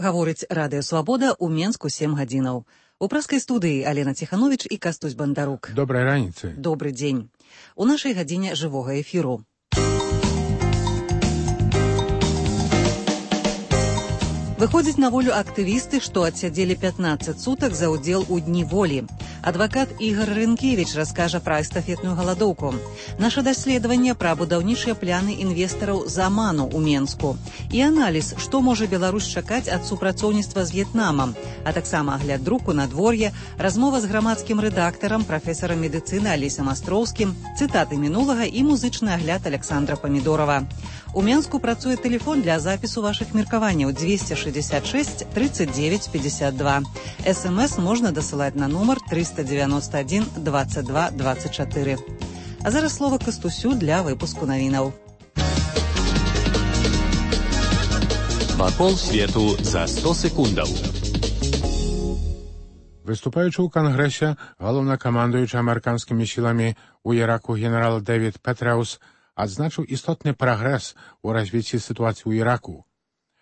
Гаворыць Радыё Свабода ў Менску 7 гадзінаў. У праскай студыі Алена Ціхановіч і Кастусь Бандарук. Добрай раніцы. Добры дзень. У нашай гадзіне жывога эфіру. Выходзяць на волю актывісты, што адсядзелі 15 сутак за ўдзел у Дні волі. Адвакат Ігор Рынкевіч раскажа пра эстафетную галадоўку. Наша даследаванне пра будаўнічыя пляны інвестараў з Аману ў Менску. І аналіз, што можа Беларусь чакаць ад супрацоўніцтва з В'етнамам, а таксама агляд друку надвор'я, размова з грамадскім рэдактарам, прафесарам медыцыны Алесем Астроўскім, цытаты мінулага і музычны агляд Александра Памідорова. У Менску працуе тэлефон для запісу вашых меркаванняў 266 39 52. СМС можна дасылаць на нумар 391 22 24. А зараз слова Кастусю для выпуску навінаў. Вакол свету за 100 секундаў. Выступаючы ў Кангрэсе, галоўнакамандуючы амерыканскімі сіламі ў Іраку генерал Дэвід Петрэус адзначыў істотны прагрэс у развіцці сітуацыі ў Іраку.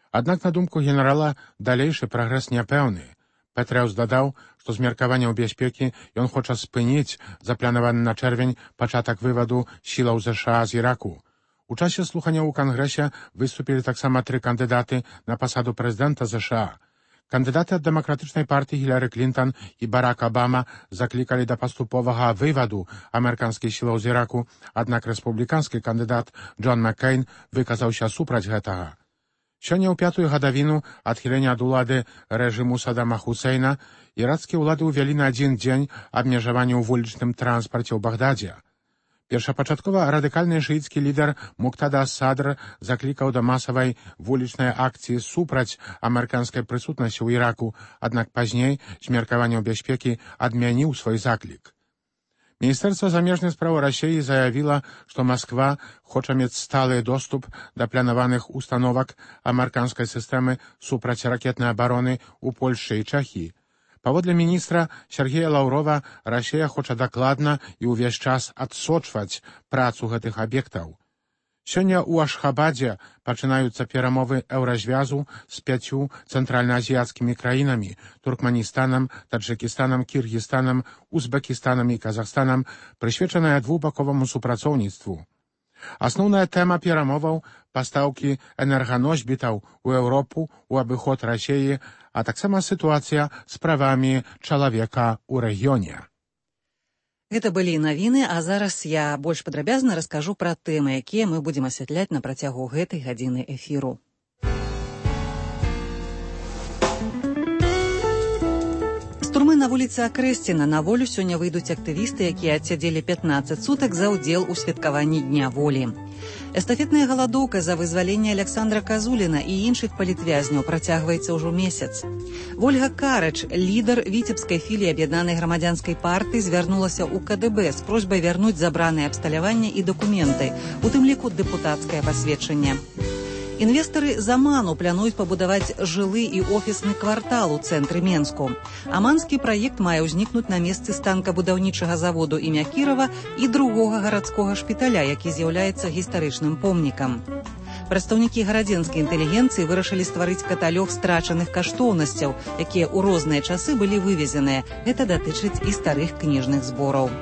Аднак, на думку генерала, далейшы прагрэс няпэўны. Петрэус дадаў, што з меркаванняў бяспекі ён хоча спыніць запланаваны на чэрвень пачатак вываду сілаў ЗША з Іраку. У часе слухання ў Кангрэсе выступілі таксама 3 кандыдаты на пасаду прэзідэнта ЗША. Кандыдаты ад дэмакратычнай партыі Гіляры Клінтан і Барак Абама заклікалі да паступовага вываду амерыканскіх сілаў з Іраку, аднак рэспубліканскі кандыдат Джон Маккейн выказаўся супраць гэтага. Сёння ў 5-ю гадавіну адхілення ад улады рэжыму Садама Хусейна ірацкія ўлады ўвялі на 1 дзень абмежаванне ў вулічным транспарце ў Багдадзе. Першапачаткова радыкальны шыіцкі лідар Муктада Ас-Садр заклікаў да масавай вулічнай акцыі супраць амерыканскай прысутнасці ў Іраку, аднак пазней з меркаванняў бяспекі адмяніў свой заклік. Міністэрства замежных спраў Расіі заявіла, што Масква хоча мець сталы доступ да планаваных установак амерыканскай сістэмы супрацьракетнай абароны ў Польшчы і Чэхіі. Паводле міністра Сергея Лаўрова, Расія хоча дакладна і ўвесь час адсочваць працу гэтых аб'ектаў. Сёння ў Ашхабадзе пачынаюцца перамовы Еўразвязу з 5 цэнтральнаазіяцкімі краінамі – Туркманістанам, Таджыкістанам, Кіргізстанам, Узбекістанам і Казахстанам, прысвечаная двухбаковаму супрацоўніцтву. Асноўная тэма перамоваў – пастаўкі энерганосьбітаў у Еўропу ў абыход Расіі, а таксама сітуацыя з правамі чалавека ў рэгіёне. Гэта былі навіны, а зараз я больш падрабязна раскажу пра тэмы, якія мы будзем асвятляць на працягу гэтай гадзіны эфіру. З турмы на вуліцы Акрэсціна на волю сёння выйдуць актывісты, якія адсядзелі 15 сутак за ўдзел у святкаванні Дня волі. Эстафетная галадоўка за вызваленне Александра Казуліна і іншых палітвязняў працягваецца ўжо месяц. Вольга Карач, лідар віцебскай філіі аб'яднанай грамадзянскай партыі, звярнулася ў КДБ з просьбай вярнуць забраныя абсталяванне і дакументы, у тым ліку дэпутацкае пасведчанне. Інвестары з Аману плануюць пабудаваць жылы і офісны квартал у цэнтры Менску. Аманскі праект мае ўзнікнуць на месцы станкабудаўнічага заводу імя Кірова і другога гарадскога шпіталя, які з'яўляецца гістарычным помнікам. Прадстаўнікі гарадзенскай інтэлігенцыі вырашылі стварыць каталог страчаных каштоўнасцяў, якія ў розныя часы былі вывезеныя. Гэта датычыць і старых кніжных збораў.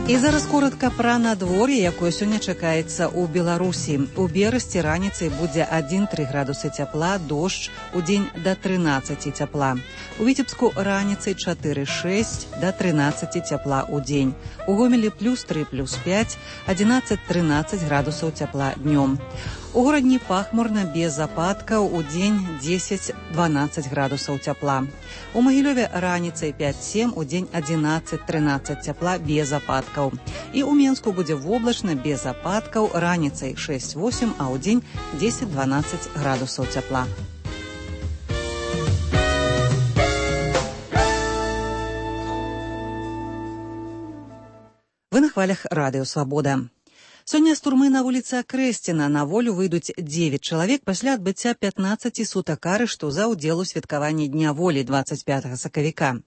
І зараз коратка пра надвор'е, якое сёння чакаецца ў Беларусі. У Берасці раніцай будзе 1-3 градусы цяпла, дождж, удзень да 13 цяпла. У Віцебску раніцай 4-6, да 13 цяпла удзень. У Гомелі +3, +5, 11-13 градусаў цяпла днём. У горадні пахмурна, без ападкаў, удзень 10-12 градусаў цяпла. У Магілёве раніцай 5-7, удзень 11-13 цяпла, без ападкаў. І ў Менску будзе воблачна, без ападкаў, раніцай 6-8, а ўдзень 10-12 градусаў цяпла. Вы на хвалях Радыё Свабода. Сёння з турмы на вуліцы Акрэсціна на волю выйдуць 9 чалавек пасля адбыцця 15 сутак арышту за ўдзел у святкаванні Дня волі 25 сакавіка.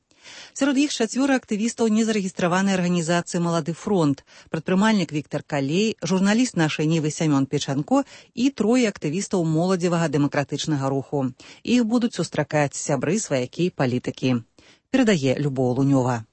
Сярод іх 4 актывістаў незарэгістраванай арганізацыі «Малады фронт», прадпрымальнік Віктор Калей, журналіст нашай Нівы Сямён Печанко і 3 актывістаў моладзевага дэмакратычнага руху. Іх будуць сустракаць сябры, сваякі, палітыкі. Перадае Любоў Лунёва.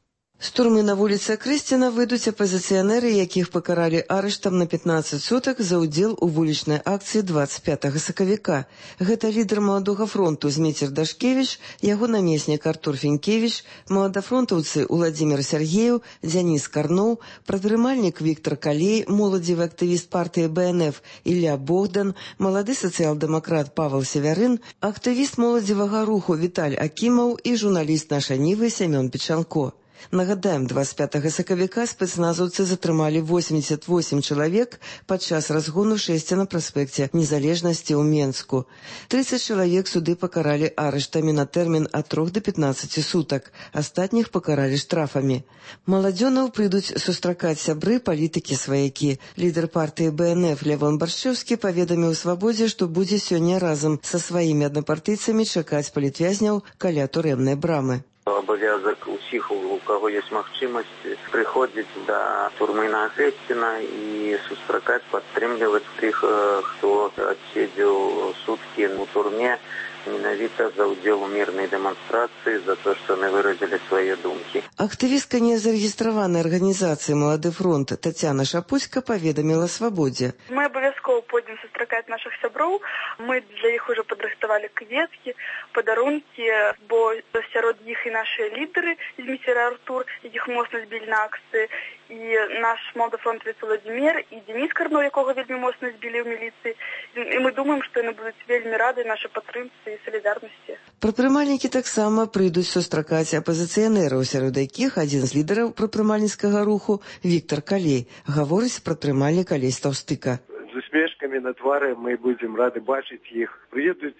З турмы на вуліцы Крэсціна выйдуць апазіцыянеры, якіх пакаралі арыштам на 15 сутак за ўдзел у вулічнай акцыі 25 сакавіка. Гэта лідар «Маладога фронту» Зміцер Дашкевіч, яго намеснік Артур Фінкевіч, маладафронтаўцы Уладзімір Сяргееў, Дзяніс Карноў, прадпрымальнік Віктор Калей, моладзевы актывіст партыі БНФ Ілля Богдан, малады сацыял-дэмакрат Павел Севярын, актывіст моладзевага руху Віталь Акімаў і журналіст нашай Нівы Сямён Печанко. Нагадаем, 25 сакавіка спецназаўцы затрымалі 88 чалавек падчас разгону 6 на праспекце Незалежнасці ў Менску. 30 чалавек суды пакаралі арыштамі на тэрмін ад 3 до 15 сутак, астатніх пакаралі штрафамі. Маладзёнаў прыйдуць сустракаць сябры, палітыкі, сваякі. Лідар партыі БНФ Лявон Баршчэўскі паведаміў Свабодзе, што будзе сёння разам са сваімі аднапартыйцамі чакаць палітвязняў каля турэмнай брамы. Абавязак усіх, у каго ёсць магчымасць, прыходзіць да турмы на Крэсціна і сустракаць, падтрымліваць тых, хто адседзеў суткі у турме менавіта за ўдзел у мірнай дэманстрацыі, за то, што яны выразілі свае думкі. Актывістка незарэгістраванай арганізацыі «Малады фронт» Тацяна Шапуцька паведаміла Свабодзе. Мы абавязкова пойдзем сустракаць нашых сяброў. Мы для іх ужо падрыхтавалі кветкі, падарункі, бо сярод іх і нашыя лідары, Зміцер і Артур, якіх моцна збілі на акцыі, і наш маладафронтавец Уладзімір, і Дзяніс Карноў, якога вельмі моцна збілі ў міліцыі. І мы думаем, што яны будуць вельмі рады нашай падтрымцы і салідарнасці. Прадпрымальнікі таксама прыйдуць сустракаць апазіцыянераў, сярод якіх адзін з лідараў прадпрымальніцкага руху Віктор Калей, гаворыць прадпрымальнік Алесь Таўстыка. З усмешкамі на твары мы будзем рады бачыць іх. Прыедуць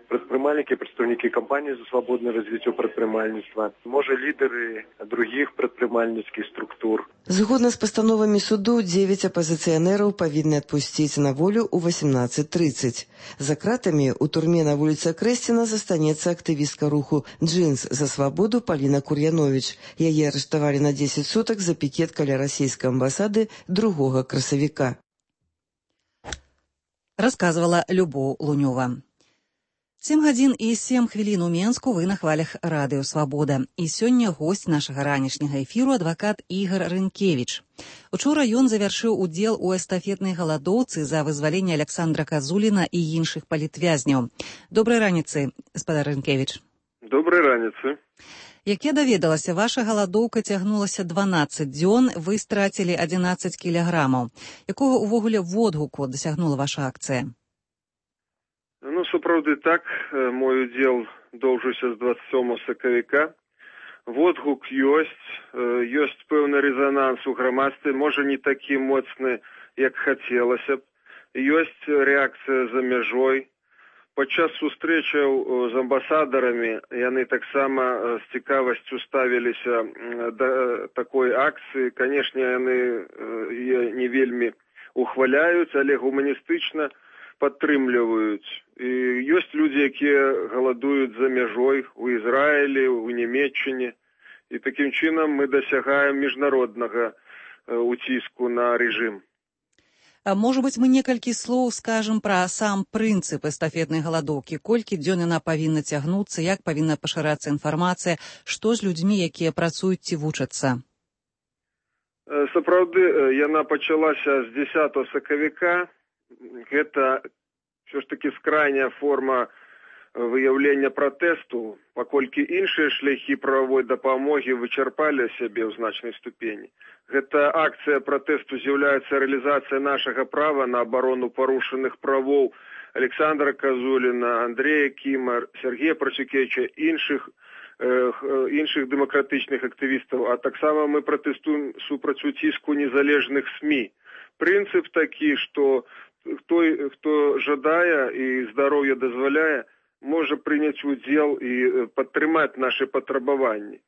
прадпрымальнікі, прадстаўнікі кампаніі за свабоднае развіццё прадпрымальніцтва, можа лідары другіх прадпрымальніцкіх структур. Згодна з пастановамі суду, 9 апазіцыянераў павінны адпусціць на волю ў 18:30. За кратамі ў турме на вуліцы Крэсціна застанецца актывістка руху «Джинс за свабоду» Паліна Кур'яновіч. Яе арыштавалі на 10 сутак за пікет каля расійскай амбасады 2 красавіка. Расказвала Любоў Лунёва. 7 гадзін і 7 хвілін у Менску вы на хвалях радыё «Свабода». І сёння госць нашага ранішняга эфіру адвакат Ігар Рынкевіч. Учора ён завяршыў удзел у эстафетнай галадоўцы за вызваленне Александра Казуліна і іншых палітвязняў. Добрай раніцы, гаспадар Рынкевіч. Добрай раніцы. Як я даведалася, ваша галадоўка цягнулася 12 дзён, вы страцілі 11 кілаграмаў. Якога ўвогуле водгуку дасягнула ваша акцыя? Сапраўды так, мой удзел доўжыўся з 27 сакавіка. Водгук ёсць пэўны рэзананс у грамадстве, можа не такі моцны, як хацелася б. Ёсць рэакцыя за мяжой. Падчас сустрэчаў з амбасадарамі яны таксама з цікавасцю ставіліся да такой акцыі. Канешне, яны не вельмі ухваляюць, але гуманістычна падтрымліваюць. І ёсць людзі, якія галадуюць за мяжой у Ізраілі, у Нямецчыне. І такім чынам мы дасягаем міжнароднага уціску на рэжым. Можа быць, мы некалькі слоў скажам пра сам прынцып эстафетнай галадоўкі. Колькі дзён яна павінна цягнуцца, як павінна пашырацца інфармацыя, што з людзьмі, якія працуюць ці вучацца? Сапраўды, яна пачалася з 10 сакавіка. Гэта ўсё ж такі скрайняя форма выяўлення пратэсту, паколькі іншыя шляхі прававой дапамогі вычарпалі сябе ў значнай ступені. Гэта акцыя пратэсту з'яўляецца рэалізацыя нашага права на абарону парушаных правоў Александра Казуліна, Андрэя Кіма, Сергея Працюкевіча, іншых дэмакратычных актывістаў, а таксама мы пратэстуем супраць уціску незалежных СМІ. Прынцып такі, што хто жадае і здароўе дазваляе, можа прыняць удзел і падтрымаць нашы патрабаванні.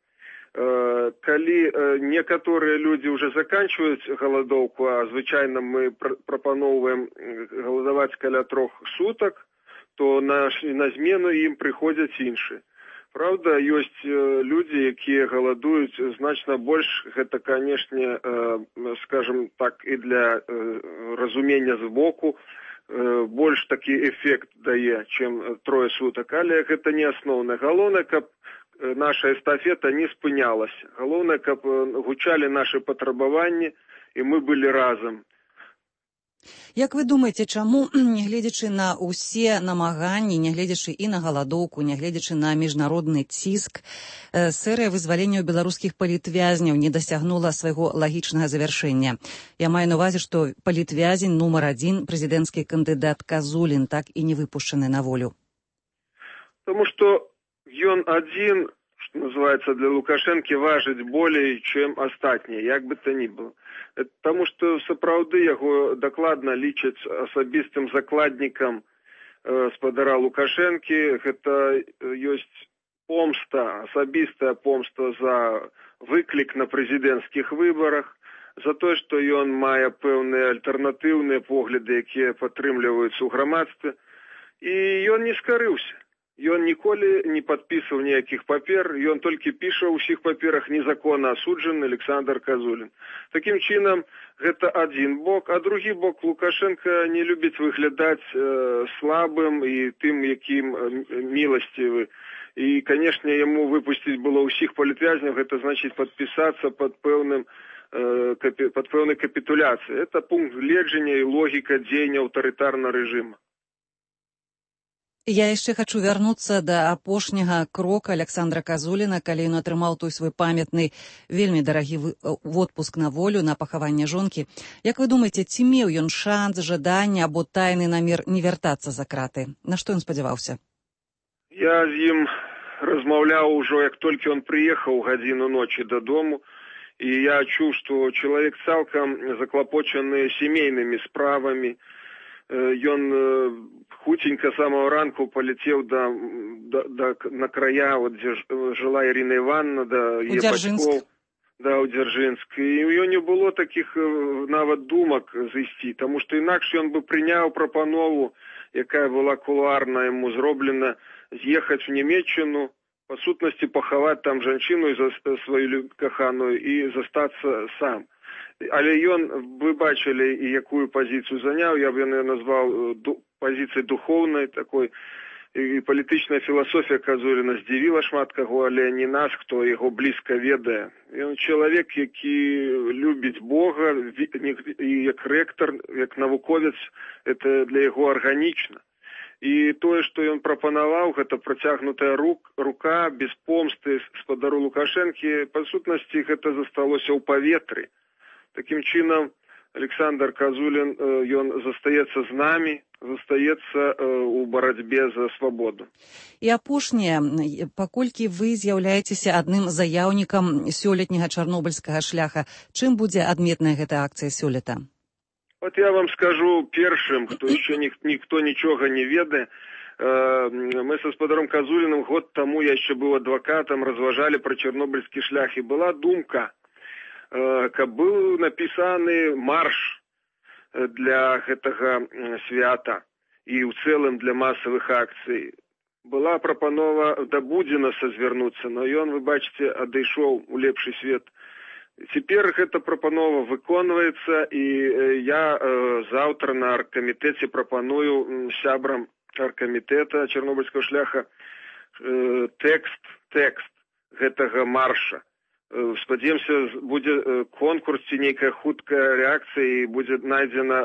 Калі некаторыя людзі ўжо заканчваюць галадоўку, а звычайна мы прапаноўваем галадаваць каля 3 сутак, то на змену ім прыходзяць іншыя. Праўда, ёсць людзі, якія галадуюць значна больш. Гэта, канешне, скажем так, і для разумення збоку больш такі эфект дае, чым 3 сутак, але гэта не асноўнае. Галоўнае, каб наша эстафета не спынялася. Галоўнае, каб гучалі нашы патрабаванні, і мы былі разам. Як вы думаеце, чаму, нягледзячы на ўсе намаганні, нягледзячы і на галадоўку, нягледзячы на міжнародны ціск, серыя вызвалення беларускіх палітвязняў не дасягнула свайго лагічнага завяршэння? Я маю на увазе, што палітвязень нумар 1, прэзідэнцкі кандыдат Казулін, так і не выпушчаны на волю. Таму што ён адзін, што называецца, для Лукашэнкі важыць болей, чым астатнія, як бы то ні было. Таму што сапраўды яго дакладна лічаць асабістым закладнікам спадара Лукашэнкі. Гэта ёсць помста, асабістая помста за выклік на прэзідэнцкіх выбарах, за тое, што ён мае пэўныя альтэрнатыўныя погляды, якія падтрымліваюцца ў грамадстве, і ён не скарыўся. Ён ніколі не падпісваў ніякіх папер, ён толькі піша ў ўсіх паперах незаконна асуджаны Александр Казулін. Такім чынам, гэта адзін бок, а другі бок, Лукашенко не любіць выглядаць слабым і тым, якім міласцівы. І, канешне, яму выпусціць было ўсіх палітвязняў, гэта значыць падпісацца пад пэўнай капітуляцыяй. Это пункт гледжання і логіка дзеяння аўтарытарнага рэжыма. Я яшчэ хачу вярнуцца да апошняга крока Александра Казуліна, калі ён атрымаў той свой памятны, вельмі дарагі водпуск на волю, на пахаванне жонкі. Як вы думаеце, ці меў ён шанс, жаданне або тайны намер не вяртацца за краты? На што ён спадзяваўся? Я з ім размаўляў ужо, як толькі ён прыехаў гадзіну ночі дадому, і я чуў, што чалавек цалкам заклапочаны сямейнымі справамі. Ён хуценька самого ранку паляцеў на края, вот, дзе жыла Ірына Івановна, да яе бацькоў, у Дзяржынск. І ў не было такіх нават думак зайсці, таму што інакш ён бы прыняў прапанову, якая была кулуарна яму зроблена, з'ехаць в Нямецчыну, па сутнасці пахаваць там жанчыну сваю каханую і застацца сам. Але ён, вы бачылі, і якую пазіцыю заняў, я б яе назваў пазіцыяй духоўнай такой, і палітычная філасофія Казуліна здзівіла шмат каго, але не нас, хто яго блізка ведае. Ён чалавек, які любіць Бога, і як рэктар, як навуковец, это для яго арганічна. І тое, што ён прапанаваў, гэта працягнутая рука, без помсты спадару Лукашэнкі, па сутнасці гэта засталося ў паветры. Такім чынам, Александр Казулін, ён застаецца з намі, застаецца ў барацьбе за свабоду. І апошняе, паколькі вы з'яўляецеся адным заяўнікам сёлетняга чарнобыльскага шляха, чым будзе адметная гэта акцыя сёлета? Вот я вам скажу першым, хто яшчэ ніхто нічога не ведае. Мы са спадаром Казуліным год таму, я яшчэ быў адвакатам, разважалі пра чарнобыльскі шлях, і была думка, каб быў напісаны марш для гэтага свята і ў цэлым для масавых акцый. Была прапанова да Будзінаса звярнуцца, но ён, вы бачыце, адышоў у лепшы свет. Цяпер гэта прапанова выконваецца, і я заўтра на аргкамітэце прапаную сябрам аргкамітэта чарнобыльскага шляха тэкст гэтага марша. Спадзяемся, будзе конкурс ці нейкая хуткая рэакцыя, і будзе найдзена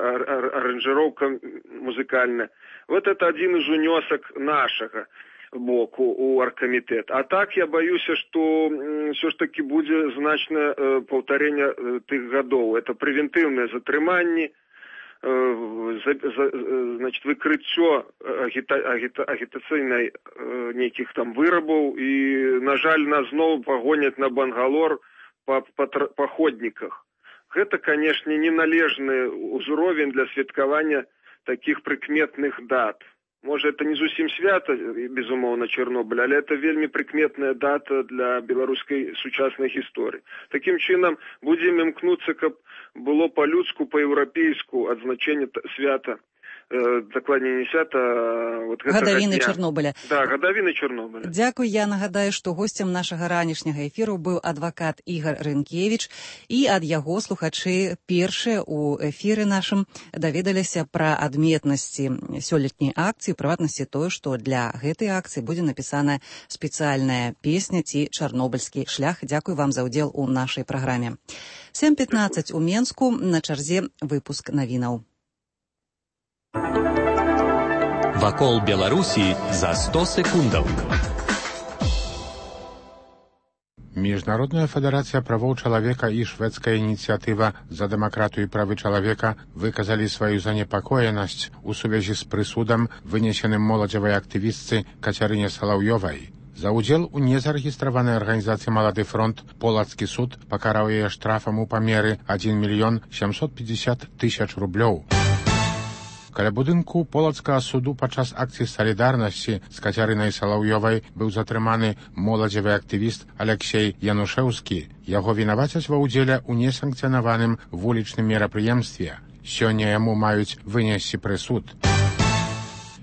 аранжыроўка музыкальная. Вот это адзін з унёсак нашага боку у аргкамітэт. А так я баюся, што ўсё ж таки будзе значнае паўтарэнне тых гадоў. Это прэвентыўныя затрыманні, значит, выкрыццё агітацыйнай нейкіх там вырабаў, і, на жаль, нас зноў пагоняць на Бангалор па ходніках. Гэта, канешне, неналежны ўзровень для святкавання такіх прыкметных дат. Можа, это не зусім свята, безумоўна, Чарнобыль, але это вельмі прыкметная дата для беларускай сучаснай гісторыі. Такім чынам, будзем імкнуцца, каб было па-людску, па-еўрапейску адзначэнне свята дакладней не свята, вот гадавіны Чарнобыля. Да, гадавіны Чарнобыля. Дзякуй, я нагадаю, што госцем нашага ранішняга эфіру быў адвакат Ігор Рынкевіч, і ад яго слухачы першыя ў эфіры нашым даведаліся пра адметнасці сёлетняй акцыі, прыватнасці тое, што для гэтай акцыі будзе напісаная спецыяльная песня ці чарнобыльскі шлях. Дзякуй вам за ўдзел у нашай праграме. 7:15 у Менску, на чарзе выпуск навінаў. Вакол Беларусі за 100 секундаў. Міжнародная федэрацыя правоў чалавека і шведская ініцыятыва за дэмакратыю і правы чалавека выказалі сваю занепакоенасць у сувязі з прысудам, вынесеным моладзевай актывістцы Кацярыне Салаўёвай. За ўдзел у незарэгістраванай арганізацыі «Малады фронт» полацкі суд пакараў яе штрафам у памеры 1 750 000 рублёў. Каля будынку полацкага суду падчас акцыі салідарнасці з Кацярынай Салаўёвай быў затрыманы моладзевы актывіст Алексей Янушэўскі. Яго вінавацяць ва ўдзеле ў несанкцыянаваным вулічным мерапрыемстве. Сёння яму маюць вынесці прысуд.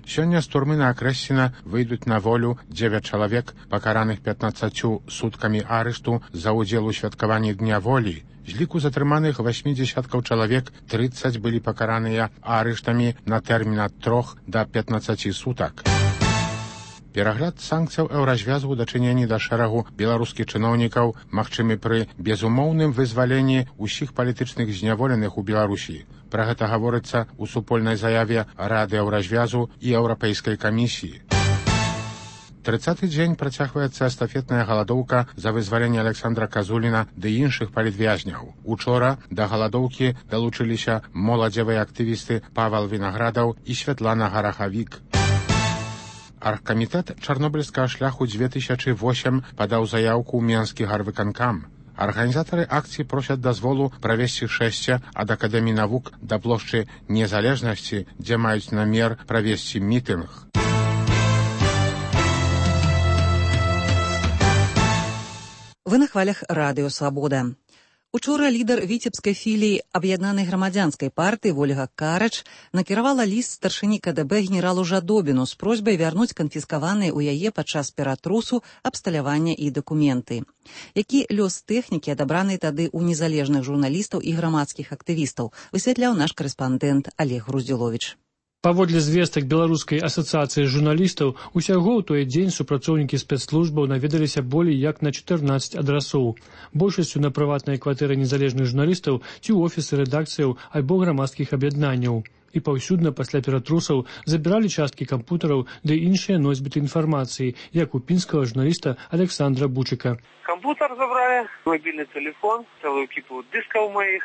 Сёння з турмы на Акрэсціна выйдуць на волю 9 чалавек, пакараных 15 суткамі арышту за ўдзел у святкаванні Дня волі. З ліку затрыманых 80 чалавек 30 былі пакараныя арыштамі на тэрмін ад 3 да 15 сутак. Перагляд санкцыяў еўразвязу ў дачыненні да шэрагу беларускіх чыноўнікаў магчымы пры безумоўным вызваленні ўсіх палітычных зняволеных у Беларусі. Пра гэта гаворыцца ў супольнай заяве Рады еўразвязу і Еўрапейскай камісіі. 30-й дзень працягваецца эстафетная галадоўка за вызваленне Александра Казуліна ды іншых палітвязняў. Учора да галадоўкі далучыліся моладзевыя актывісты Павел Вінаградаў і Святлана Гарахавік. Аргкамітэт чарнобыльскага шляху 2008 падаў заяўку ў Менскі гарвыканкам. Арганізатары акцыі просяць дазволу правесці шэсце ад Акадэміі навук да плошчы Незалежнасці, дзе маюць намер правесці мітынг. Вы на хвалях радыё «Свабода». Учора лідар віцебскай філіі аб'яднанай грамадзянскай партыі Ольга Карач накіравала ліст старшыні КДБ генералу Жадобіну з просьбай вярнуць канфіскаваныя ў яе падчас ператрусу абсталявання і дакументы. Які лёс тэхнікі, адабранай тады ў незалежных журналістаў і грамадскіх актывістаў, высвятляў наш карэспандэнт Олег Груздзіловіч. Паводле звестак Беларускай асацыяцыі журналістаў, усяго ў той дзень супрацоўнікі спецслужбаў наведаліся болей як на 14 адрасоў. Большасцю на прыватныя кватэры незалежных журналістаў ці ў офісы рэдакцыяў альбо грамадскіх аб'яднанняў. І паўсюдна пасля ператрусаў забіралі часткі кампутараў ды іншыя носьбіты інфармацыі, як у пінскага журналіста Александра Бучыка. Кампутар забрали, мобільны телефон, цэлую кіпу дыскаў маіх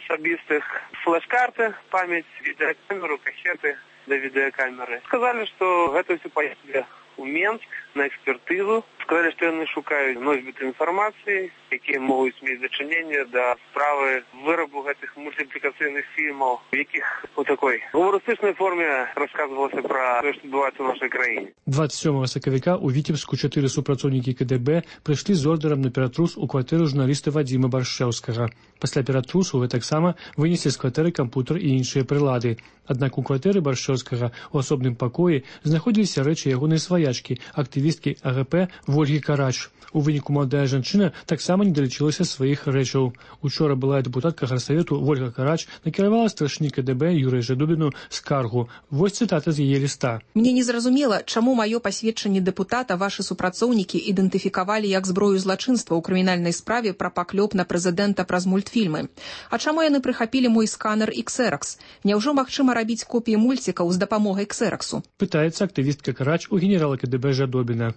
особистых, флеш-карты, память, видеокамеру, кассеты до видеокамеры. Сказали, что это все поехали в Менск на экспертизу. Сказали, что яны шукаюць носьбіты інфармацыі, якія могуць мець дачыненне да справы вырабу гэтых мультиплікацыйных фільмаў, у якіх у такой гумарыстычнай форме рассказывалася пра тое, што адбываецца ў нашай краіне. 27 сакавіка у Віцебску 4 супрацоўнікі КДБ прыйшлі з ордэрам на ператрус у кватэру журналіста Вадзіма Баршчэўскага. Пасля ператрусу гэтаксама вынеслі з кватэры кампутар і іншыя прылады. Аднак у кватэры Баршчэўскага у асобным пакоі знаходзіліся рэчы ягонай сваячкі, актывісткі АГП Ольгі Карач. У выніку маладая жанчына таксама не далічылася сваіх рэчаў. Учора былая дэпутатка гарсавету Ольга Карач накіравала старшыні КДБ Юрыю Жадобіну скаргу. Вось цытата з яе ліста. Мне незразумела, чаму маё пасведчанне дэпутата вашы супрацоўнікі ідэнтыфікавалі як зброю злачынства ў крымінальнай справе пра паклёп на прэзідэнта праз мультфільмы. А чаму яны прыхапілі мой сканер Xerox? Няўжо магчыма рабіць копіі мульцікаў з дапамогай Xeroxу? Пытаецца актывістка Карач у генерала КДБ Жадобіна.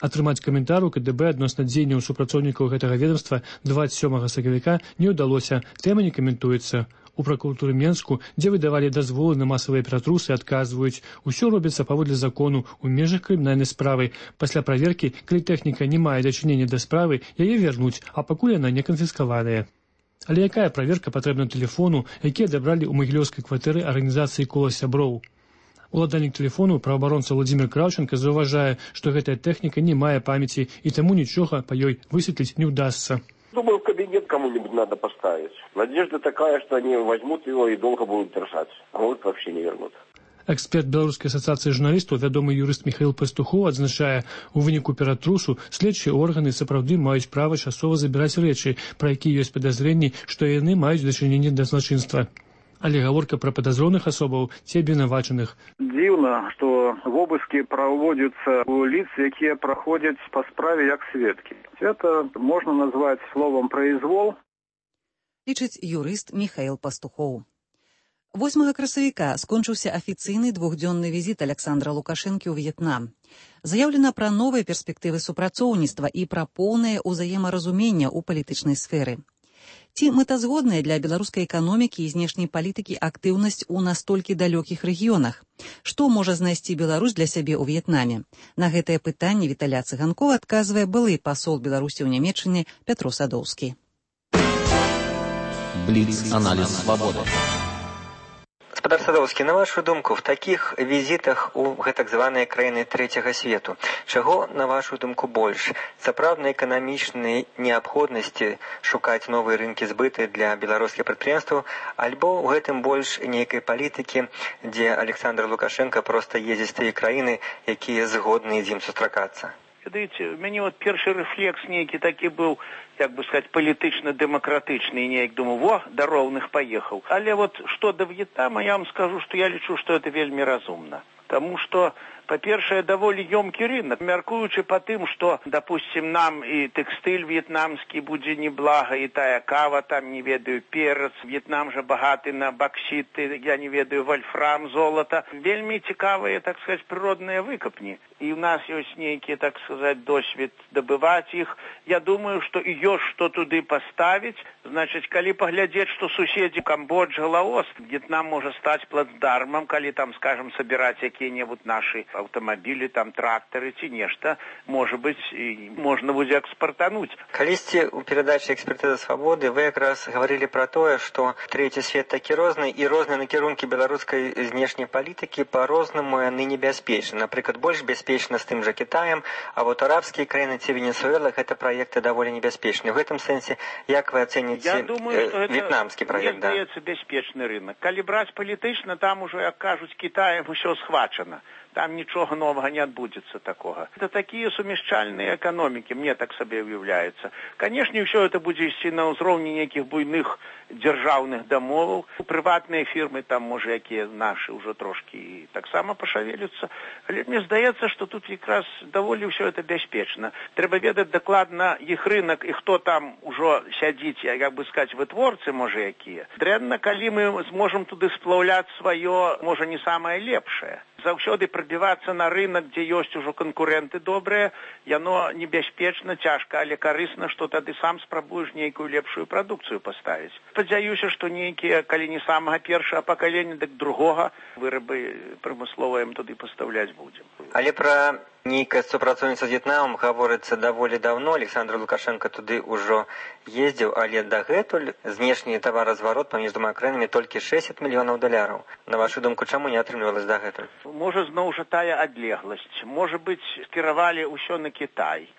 Атрымаць каментар у КДБ адносна дзеянняў супрацоўнікаў гэтага ведомства 27 сакавіка не ўдалося, тэма не каментуецца. У пракуратуры Менску, дзе выдавалі дазволы на масавыя ператрусы, адказваюць, усё робіцца паводле закону ў межах крымінальнай справы. Пасля праверкі, калі тэхніка не мае дачынення да справы, яе вернуць, а пакуль яна не канфіскаваная. Але якая праверка патрэбна тэлефону, які адабралі ў магілёўскай кватэры арганізацыі «Кола сяброў»? Уладальнік тэлефону, праваабаронца Владзімир Краўченка, заўважае, што гэтая тэхніка не мае памяці і таму нічога па ёй высветліць не ўдасца. Думаю, в кабинет кому-нибудь надо поставить. Надежда такая, что они возьмут его и долго будут держать. А может, вообще не вернут. Эксперт Беларускай асацыяцыі журналістаў, вядомы юрыст Михаил Пастухоў, адзначае, у выніку ператрусу следчыя органы сапраўды маюць права часова забіраць рэчы, пра якія ёсць падазрэнні, што яны маюць дачыненне да злачынства. Але гаворка пра падазроных асобаў ці абвінавачаных. Дзіўна, што вобыскі праводзяцца у лиц, якія праходзяць па справе як сведкі. Это можна назваць словам «произвол». Лічыць юрыст Михаил Пастухоў. 8 красавіка скончыўся афіцыйны двухдзённы візіт Александра Лукашэнкі ў В'етнам. Заяўлена пра новыя перспектывы супрацоўніцтва і пра поўнае ўзаемаразуменне ў палітычнай сферы. Ці мэтазгодная для беларускай эканомікі і знешняй палітыкі актыўнасць у настолькі далёкіх рэгіёнах? Што можа знайсці Беларусь для сябе ў В'етнаме? На гэтае пытанне Віталя Цыганкова адказвае былы пасол Беларусі ў Нямецчыне Пятро Садоўскі. Бліц-аналіз свабоды. Гаспадар Садоўскі, на вашу думку, в такіх візітах у гэтак званыя краіны трэцяга свету, чаго, на вашу думку, больш? Сапраўднай эканамічнай неабходнасці шукаць новыя рынкі збыты для беларускіх прадпрыемстваў, альбо ў гэтым больш нейкай палітыкі, дзе Александр Лукашенко проста ездзіць тыя краіны, якія згодны з ім сустракацца? Ведаеце, у мяне першы рэфлекс нейкі такі быў, як бы сказаць, палітычна-дэмакратычны, і неяк думаю, во, да роўных паехаў. Але што да В'етнама, я вам скажу, што я лічу, што это вельмі разумна. Таму што, па-першае, даволі ёмкі рынок, мяркуючы па тым, што, допустим, нам і тэкстыль в'етнамскі будзе неблага, і тая кава, там, не ведаю, перац, В'етнам жа багаты на баксіты, я не ведаю, вольфрам, золата. Вельмі цікавыя, так сказаць, прыродныя выкапні. І ў нас ёсць нейкі, так сказаць, досвед дабываць іх. Я думаю, што і ёсць што туды паставіць. Значыць, калі паглядзець, што суседзі Камбоджа, Лаос, В'етнам можа стаць плацдармам, калі там, скажем, сабіраць якія-небудзь нашы аўтамабілі, там трактары ці нешта, можа быць, і можна будзе экспартануць. Калісьці ў перадачы «Экспертыза свабоды» вы якраз гаварылі пра тое, што трэці свет такі розны, і розныя накірункі беларускай знешняй палітыкі па-рознаму яны небяспечны. Напрыклад, больш бяспечна з тым жа Кітаем, а вот арабскія краіны ці Венесуэла гэта праекты даволі небяспечныя. У гэтым сэнсе, як вы ацэніце в'етнамскі праект? Мне здаецца, бяспечны рынок. Калі браць палітычна, там ужо, як кажуць, Кітаем усё схвачана. Там нічога новага не адбудзецца такога. Это такія сумяшчальныя эканомікі, мне так сабе уяўляецца. Канешне, ўсё это будзе ісці на ўзроўні нейкіх буйных дзяржаўных дамоваў. Прыватныя фірмы, там, можа, якія нашы ўжо трошкі таксама пашавелюцца. Але мне здаецца, што тут якраз даволі ўсё это бяспечна. Трэба ведаць дакладна іх рынок і хто там ужо сядзіць, як бы сказаць, вытворцы, можа, якія. Дрэнна, калі мы зможам туды сплаўляць сваё, можа, не самае лепшае. Заўсёды прабівацца на рынок, дзе ёсць ужо канкурэнты добрыя, яно небяспечна, цяжка, але карысна, што тады сам спрабуеш нейкую лепшую прадукцыю паставіць. Спадзяюся, што нейкія, калі не самага першага пакалення, дык другога вырабы прамысловыя туды пастаўляць будзем. Але пра нейкае супрацоўніцтва з В'етнамам гаворыцца даволі даўно. Александр Лукашенко туды ўжо ездзіў, але дагэтуль знешні таваразварот паміж двума краінамі толькі $60 мільёнаў. На вашу думку, чаму не атрымлівалася дагэтуль? Можа, зноў жа тая адлегласць. Можа быць, скіравалі ўсё на Кітай.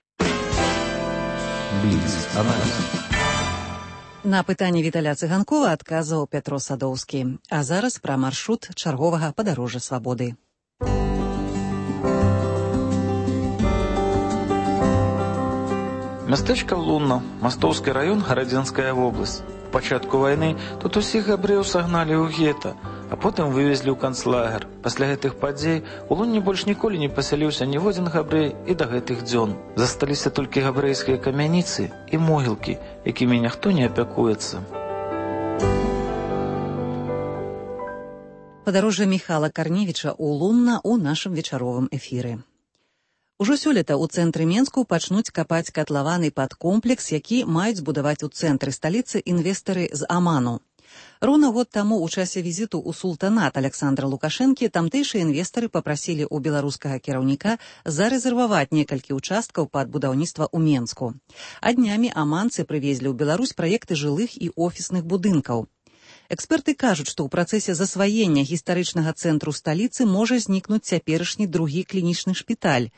На пытанне Віталя Цыганкова адказваў Пятро Садоўскі. А зараз пра маршрут чарговага падарожжа свабоды. Мястэчка Лунна, Мастоўскі раён, Гарадзенская вобласць. У пачатку вайны тут усіх габрэяў сагналі ў гета, а потым вывезлі ў канцлагер. Пасля гэтых падзей у Лунне больш ніколі не пасяліўся ніводзін габрэй і да гэтых дзён. Засталіся толькі габрэйскія камяніцы і могілкі, якімі ніхто не апякуецца. Падарожжа Міхала Карневіча ў Лунна ў нашым вечаровым эфіры. Ужо сёлета ў цэнтры Менску пачнуць капаць катлаваны пад комплекс, які маюць збудаваць у цэнтры сталіцы інвестары з Аману. Роўна год таму ў часе візіту ў султанат Александра Лукашэнкі тамтэйшыя інвестары папрасілі ў беларускага кіраўніка зарэзерваваць некалькі ўчасткаў пад будаўніцтва ў Менску. А днямі аманцы прывезлі ў Беларусь праекты жылых і офісных будынкаў. Эксперты кажуць, што ў працэсе засваення гістарычнага цэнтру сталіцы можа знікнуць цяперашні другі клінічны шпіталь.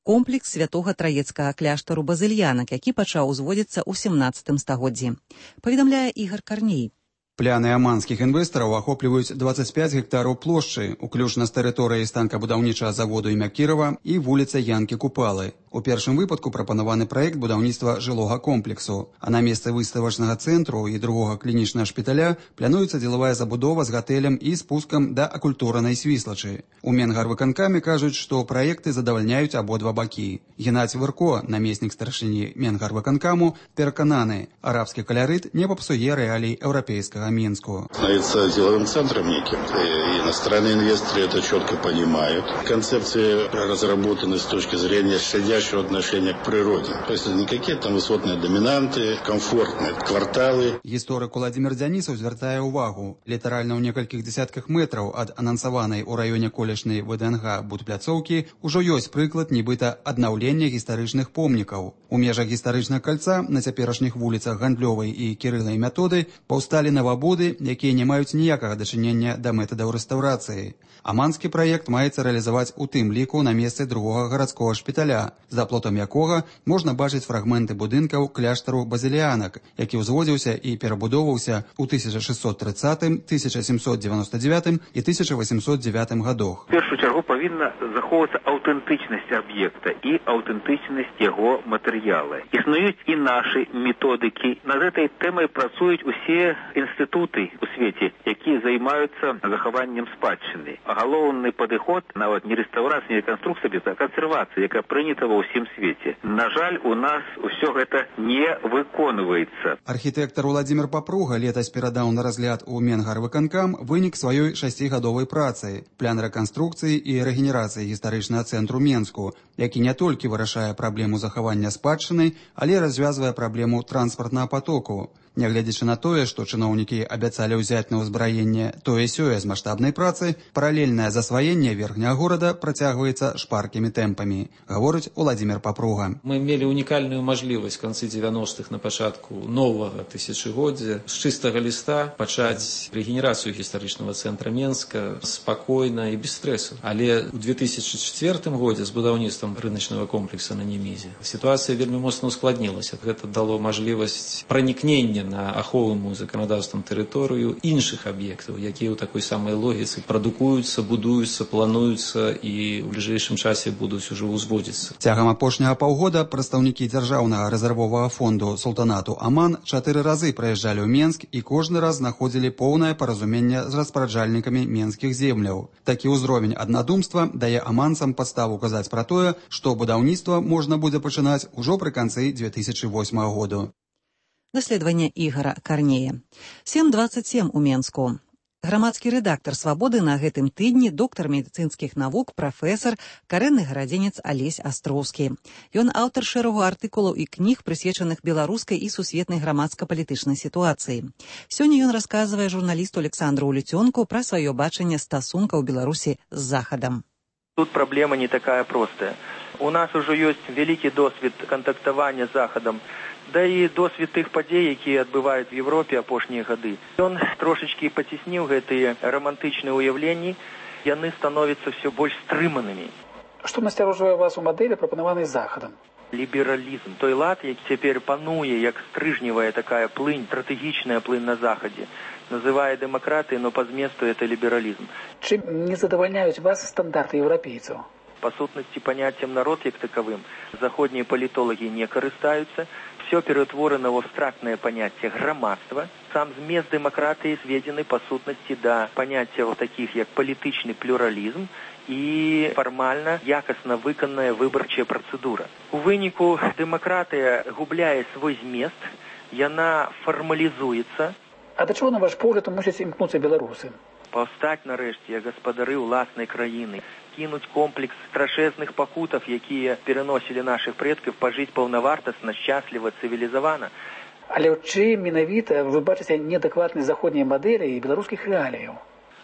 комплекс святога траецкага кляштару базыльянак, які пачаў узводзіцца ў 17 стагоддзі. Паведамляе Ігар Карней. Пляны аманскіх інвестараў ахопліваюць 25 гектараў плошчы, уключна з тэрыторыяй станкабудаўнічага заводу імя Кірова і вуліца Янкі Купалы. У першым выпадку прапанаваны праект будаўніцтва жылога комплексу, а на месцы выставачнага цэнтру і другога клінічнага шпіталя плануецца дзелавая забудова з гатэлем і спускам да акультуранай свіслачы. У Менгарвыканкаме кажуць, што праекты задавальняюць абодва бакі. Геннадзь Вырко, намеснік старшыні Менгарвыканкаму, перакананы, арабскі калярыт не папсуе рэалій еўрапейскага Минску. Становится деловым центром неким. И иностранные инвесторы это четко понимают. Концепции разработаны с точки зрения щадящего отношения к природе. То есть это не какие-то там высотные доминанты, комфортные кварталы. Гісторык Уладзімір Дзянісаў звяртае ўвагу. Літаральна ў некалькіх дзесятках метраў ад анансаванай у раёне колішняй ВДНГ будпляцоўкі ўжо ёсць прыклад нібыта аднаўлення гістарычных помнікаў. У межах гістарычнага кальца на цяперашніх вуліцах Гандлёвай і Кірыла і Методы паўсталі новабуды, якія не маюць ніякага дачынення да метадаў рэстаўрацыі. Аманскі праект маецца рэалізаваць у тым ліку на месцы другога гарадскога шпіталя, за плотам якога можна бачыць фрагменты будынкаў кляштару базыльянак, які ўзводзіўся і перабудоўваўся ў 1630, 1799 і 1809 годах. В першую чаргу павінна захоўвацца аўтэнтычнасць аб'екта і аўтэнтычнасць яго матэрыяла. Існуюць і нашы методыкі. Над гэтай тэмай працуюць усе інстытуты у свеце, якія займаюцца захаваннем спадчыны. Галоўны падыход, нават не рэстаўрацыя, не рэканструкцыя, а кансервацыя, якая прынята ва ўсім свеце. На жаль, у нас усё гэта не выконваецца. Архітэктар Уладзімір Папруга летась перадаў на разгляд у Менгарвыканкам вынік сваёй 6гадовай працы, план рэканструкцыі і рэгенерацыі гістарычнага цэнтру Менску, які не толькі вырашае праблему захавання спадчыны, але развязвае праблему транспартнага потоку. Нягледзячы на тое, што чыноўнікі абяцалі ўзяць на ўзбраенне тое-сёе з маштабнай працы, паралельнае засваенне верхняга горада працягваецца шпаркімі тэмпамі, гаворыць Уладзімір Папруга. Мы мелі унікальную мажлівасць в канцы 90-х на пачатку новага тысячагоддзя з чыстага ліста пачаць рэгенерацыю гістарычнага цэнтра Менска спакойна і без стрэсу. Але ў 2004 годзе з будаўніцтвам рыначнага комплекса на Немізе сітуацыя вельмі моцна ускладнілася. Гэта дало мажлівасць пранікнення на аховаму заканадаўствам тэрыторыю іншых аб'ектаў, якія ў такой самай логіцы прадукуюцца, будуюцца, плануюцца і ў бліжэйшым часе будуць ужо ўзводзіцца. Цягам апошняга паўгода прадстаўнікі дзяржаўнага рэзервовага фонду султанату Аман 4 разы прыязджалі ў Менск і кожны раз знаходзілі поўнае паразуменне з распараджальнікамі менскіх земляў. Такі ўзровень аднадумства дае аманцам падставу казаць пра тое, што будаўніцтва можна будзе пачынаць ужо пры канцы 2008 году. Даследаванне Ігара Карнея. 7:27 у Менску. Грамадскі рэдактар «Свабоды» на гэтым тыдні доктар медыцынскіх навук, прафесар, карэнны гарадзенец Алесь Астроўскі. Ён аўтар шэрагу артыкулаў і кніг, прысвечаных беларускай і сусветнай грамадска-палітычнай сітуацыі. Сёння ён расказвае журналісту Александру Улюцёнку пра сваё бачанне стасункаў Беларусі з Захадам. Тут праблема не такая простая. У нас ужо ёсць вялікі досвед кантактавання з Захадам, да і досвед тых падзей, якія адбываюць в Европе апошнія гады. Ён трошачкі пацісніў гэтыя романтычныя ўяўленні, яны становяцца все больш стрыманымі. Што насцярожвае вас у мадэлі, прапанаванай Захадам? Лібералізм. Той лад, які цяпер пануе, як стрыжневая такая плынь, стратэгічная плынь на Захадзе, называе дэмакратыяй, но па зместу это лібералізм. Чым не задавальняюць вас стандарты еўрапейцаў? Па сутнасці паняццем народ як такавым заходнія палітолагі не карыстаюцца. Все перетворено в абстрактное понятие громадства. Сам змест демократии сведены по сутности до понятия вот таких, как политичный плюрализм и формально якостно выканная выборчая процедура. У выніку демократия губляе свой змест, яна формализуется. А до чего, на ваш погляд, мусяць імкнуцца беларусы? Паўстаць нарэшце як гаспадары ўласнай краіны, кінуць комплекс страшэзных пакутаў, якія пераносілі нашых предкаў, пажыць паўнавартасна, шчасліва, цывілізавана. Але ў чым менавіта вы бачыце неадэкватнасць заходняй мадэлі і беларускіх рэаліяў?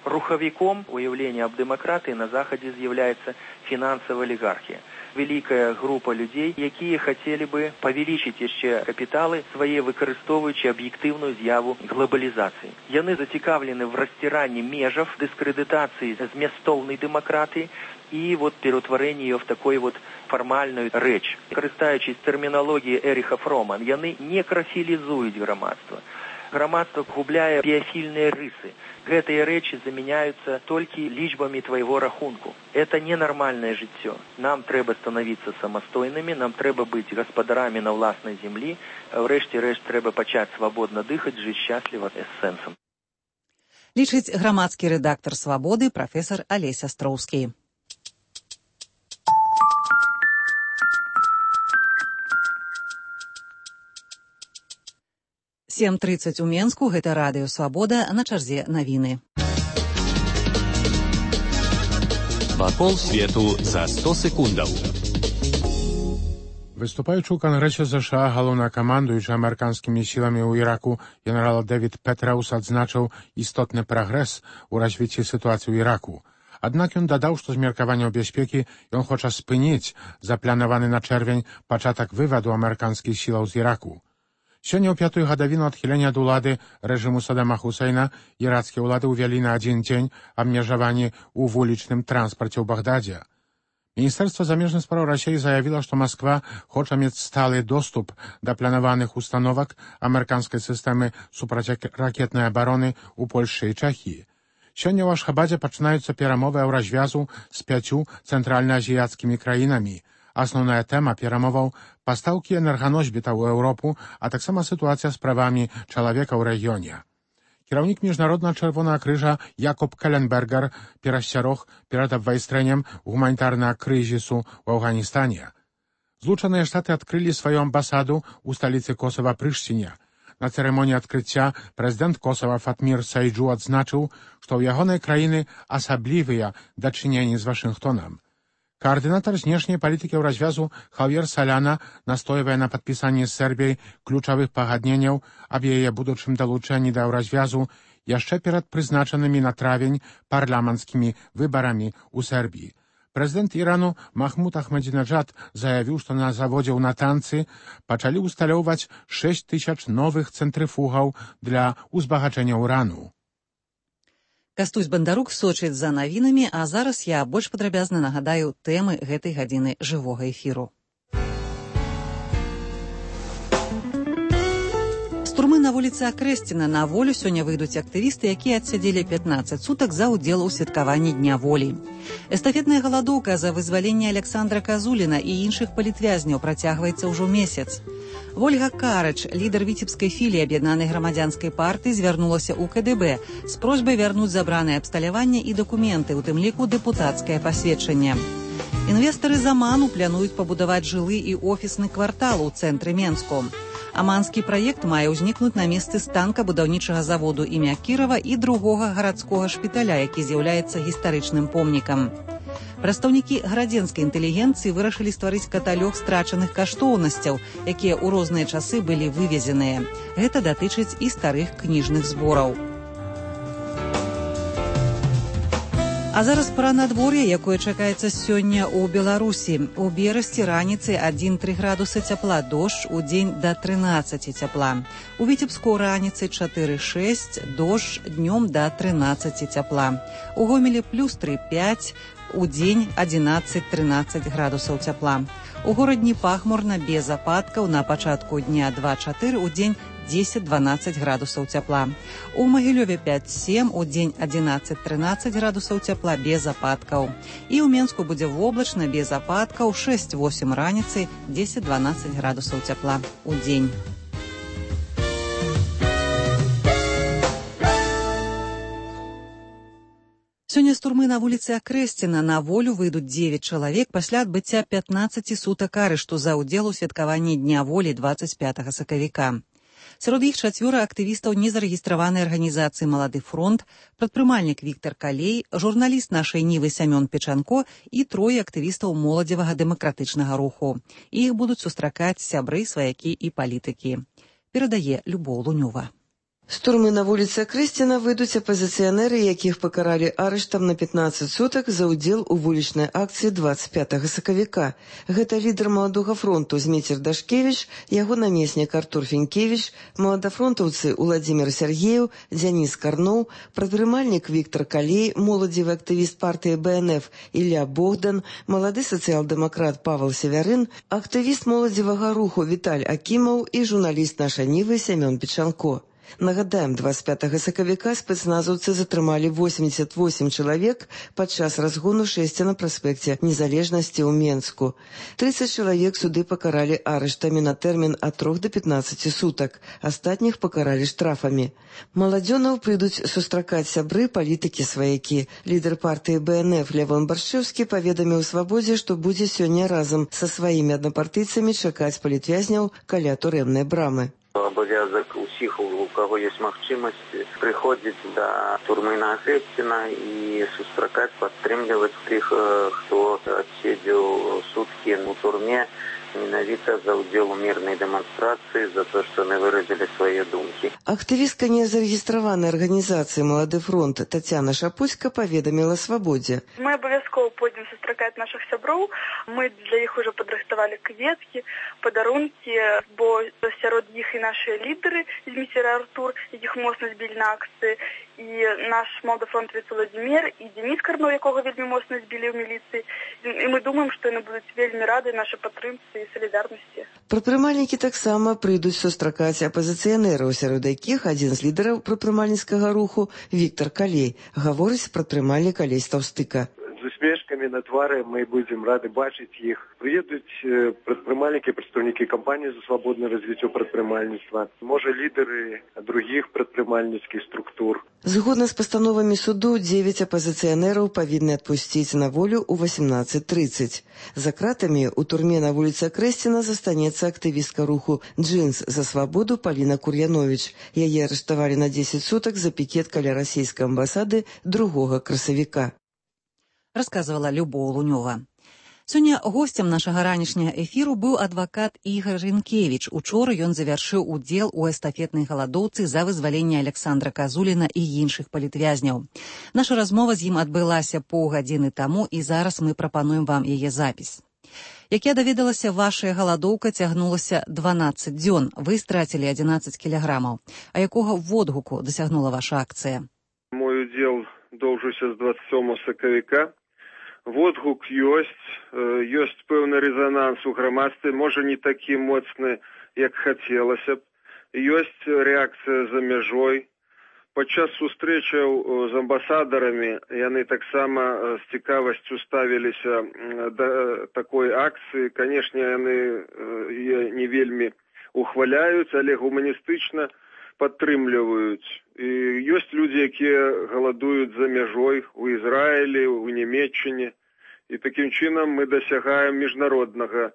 Рухавіком уяўлення аб дэмакратыі на Захадзе з'яўляецца фінансавая алігархія. вялікая група людзей, якія хацелі бы павялічыць яшчэ капіталы свае, выкарыстоўваючы аб'ектыўную з'яву глобалізацыі. Яны зацікаўлены в расціранні межаў, дыскрэдытацыі змястоўнай дэмакратыі і пераўтварэнні ее в такой фармальную рэч. Карыстаючись тэрміналогіяй Эріха Фрома, яны не крафілізуюць грамадства. Грамадство губляе біяфільныя рысы. Гэтыя рэчы заменяются толькі лічбамі твайго рахунку. Это ненармальнае жыццё. Нам трэба становіцца самастойнымі, нам трэба быць гаспадарамі на ўласнай зямлі, а ўрэшце рэшт трэба пачаць свабодна дыхаць, жыць шчасліва з сэнсам. Лічыць грамадскі рэдактар «Свабоды» прафесар Алесь Астроўскі. – 7:30 у Менску, гэта радыё «Свабода», на чарзе навіны. Вакол свету за 100 секундаў. Выступаючы ў Кангрэсе США, галоўнакамандуючы амерыканскімі сіламі ў Іраку генерал Дэвід Петраус адзначыў істотны прагрэс у развіцці сітуацыі ў Іраку. Аднак ён дадаў, што з меркаванняў бяспекі ён хоча спыніць запланаваны на чэрвень пачатак вываду амерыканскіх сілаў з Іраку. Сёння ў 5-ю гадавіну адхілення ад улады рэжыму Саддама Хусейна ірацкія ўлады ўвялі на адзін дзень абмежаванні ў вулічным транспарце ў Багдадзе. Міністэрства замежных спраў Расіі заявіла, што Масква хоча мець сталы доступ да планаваных установак амерыканскай сістэмы супрацьракетнай абароны ў Польшчы і Чэхіі. Сёння ў Ашхабадзе пачынаюцца перамовы развязу з 5 цэнтральнаазіяцкімі краінамі. Асноўная тэма перамоваў – пастаўкі энерганосьбітаў у Еўропу, а таксама сітуацыя з правамі чалавека ў рэгіёне. Кіраўнік Міжнароднага Чырвонага крыжа Якоб Келенбергер перасцярог перад абвайстрэннем гуманітарнага крызісу ў Афганістане. Злучаныя Штаты адкрылі сваю амбасаду ў сталіцы Косава Прыштіне. На цырымоніі адкрыцця прэзідэнт Косава Фатмір Сайджу адзначыў, што ў ягонай краіны асаблівыя дачыненні з Вашынгтонам. Координатор знешняй палітыкі ў развязу Хавьер Саляна настойвае на падпісанні з Сербіяй ключавых пагадненняў аб яе будучым далучэнні да развязу яшчэ перад прызначанымі на травень парламенцкімі выбарамі ў Сербіі. Прэзідэнт Ірану Махмуд Ахмадзінеджад заявіў, што на заводзе ў Натанцы пачалі ўсталёўваць 6000 новых цэнтрыфугаў для узбагачэння ўрану. Кастусь Бандарук сочыць за навінамі, а зараз я больш падрабязна нагадаю тэмы гэтай гадзіны жывога эфіру. З турмы на вуліцы Акрэсціна на волю сёння выйдуць актывісты, якія адсядзелі 15 сутак за ўдзел у святкаванні Дня волі. Эстафетная галадоўка за вызваленне Александра Казуліна і іншых палітвязняў працягваецца ўжо месяц. Вольга Карач, лідар віцебскай філіі Аб'яднанай грамадзянскай партыі, звярнулася ў КДБ з просьбай вярнуць забранае абсталяванне і дакументы, у тым ліку дэпутацкае пасведчанне. Інвестары з Аману плануюць пабудаваць жылы і офісны квартал у цэнтры Менску. Аманскі праект мае ўзнікнуць на месцы станка будаўнічага заводу імя Кірава і другога гарадскога шпіталя, які з'яўляецца гістарычным помнікам. Прадстаўнікі гарадзенскай інтэлігенцыі вырашылі стварыць каталог страчаных каштоўнасцяў, якія ў розныя часы былі вывезеныя. Гэта датычыць і старых кніжных збораў. А зараз пра надвор'е, якое чакаецца сёння ў Беларусі. У Берасці раніцай 1-3 градусы цяпла, дождж, удзень да 13 цяпла. У Віцебску раніцай 4-6, дождж, днём да 13 цяпла. У Гомелі плюс 3-5, удзень 11-13 градусаў цяпла. У горадні пахмурна, без ападкаў, на пачатку дня 2-4, удзень 10-12 градусаў цяпла. У Магілёве 5-7, удзень 11-13 градусаў цяпла, без ападкаў. І ў Менску будзе воблачна, без ападкаў, 6-8 раніцай, 10-12 градусаў цяпла удзень. Сёння з турмы на вуліцы Акрэсціна на волю выйдуць 9 чалавек пасля адбыцця 15 сутак арышту за ўдзел у святкаванні Дня волі 25 сакавіка. Сярод іх 4 актывістаў незарэгістраванай арганізацыі «Малады фронт», прадпрымальнік Віктар Калей, журналіст нашай Нівы Сямён Печанко і 3 актывістаў моладзевага дэмакратычнага руху. Іх будуць сустракаць сябры, сваякі і палітыкі. Перадае Любоў Лунёва. З турмы на вуліцы Акрэсціна выйдуць апазіцыянеры, якіх пакаралі арыштам на 15 сутак за ўдзел у вулічнай акцыі 25 сакавіка. Гэта лідар Маладога фронту Зміцер Дашкевіч, яго намеснік Артур Фінкевіч, маладафронтаўцы Уладзімір Сергеев, Дзяніс Карноў, прадпрымальнік Віктор Калей, моладзевы актывіст партыі БНФ Ілля Богдан, малады сацыял-дэмакрат Павел Севярын, актывіст моладзевага руху Віталь Акімаў і журналіст «Наша Нівы» Сямён Печанко. Нагадаем, 25 сакавіка спецназаўцы затрымалі 88 чалавек падчас разгону шэсця на праспекце Незалежнасці ў Менску. 30 чалавек суды пакаралі арыштамі на тэрмін ад 3 до 15 сутак, астатніх пакаралі штрафамі. Маладзёнаў прыйдуць сустракаць сябры, палітыкі, сваякі. Лідар партыі БНФ Лявон Баршэўскі паведаміў Свабодзе, што будзе сёння разам са сваімі аднапартыйцамі чакаць палітвязняў каля турэмнай брамы. Абавязак усіх, у кого есть магчымасць, прыходзіць да турмы на Акрэсціна і сустракаць, падтрымліваць тых, хто адседзеў суткі у турме менавіта за ўдзел у мірнай дэманстрацыі, за то, што яны выразілі свае думкі. Актывістка незарэгістраванай арганізацыі «Малады фронт» Тацяна Шапуцька паведаміла Свабодзе. Мы абавязкова пойдзем сустракаць нашых сяброў. Мы для іх ужо падрыхтавалі кветкі, падарункі, бо сярод іх і нашыя лідары Зміцер Артур, якіх моцна збілі на акцыі, і наш маладафронтавец Уладзімір, і Дзяніс Карноў, якога вельмі моцна збілі ў міліцыі. І мы думаем, што яны будуць вельмі рады нашай падтрымцы і салідарнасці. Прадпрымальнікі таксама прыйдуць сустракаць апазіцыянераў, сярод якіх адзін з лідараў прадпрымальніцкага руху Віктор Калей, гаворыць прадпрымальнік Алесь Таўстыка. З усмешкамі на твары мы будзем рады бачыць іх. Прыедуць прадпрымальнікі, прадстаўнікі кампаніі за свабоднае развіццё прадпрымальніцтва, можа лідары другіх прадпрымальніцкіх структур. Згодна з пастановамі суду, 9 апазіцыянераў павінны адпусціць на волю ў 18:30. За кратамі ў турме на вуліцы Акрэсціна застанецца актывістка руху «Джинс за свабоду» Паліна Кур'яновіч. Яе арыштавалі на 10 сутак за пікет каля расійскай амбасады 2 красавіка. Расказвала Любоў Лунёва. Сёння госцем нашага ранішняга эфіру быў адвакат Ігар Рынкевіч. Учора ён завяршыў удзел у эстафетнай галадоўцы за вызваленне Александра Казуліна і іншых палітвязняў. Наша размова з ім адбылася паўгадзіны таму, і зараз мы прапануем вам яе запіс. Як я даведалася, вашая галадоўка цягнулася 12 дзён. Вы страцілі 11 кілаграмаў. А якога водгуку дасягнула ваша акцыя? Мой удзел доўжыўся з 27 сакавіка. Водгук ёсць пэўны рэзананс у грамадстве, можа не такі моцны, як хацелася б. Ёсць рэакцыя за мяжой. Падчас сустрэчаў з амбасадарамі яны таксама з цікавасцю ставіліся да такой акцыі. Канешне, яны не вельмі ухваляюць, але гуманістычна падтрымліваюць. І ёсць людзі, якія галадуюць за мяжой у Ізраілі, у Нямецчыне. І такім чынам мы дасягаем міжнароднага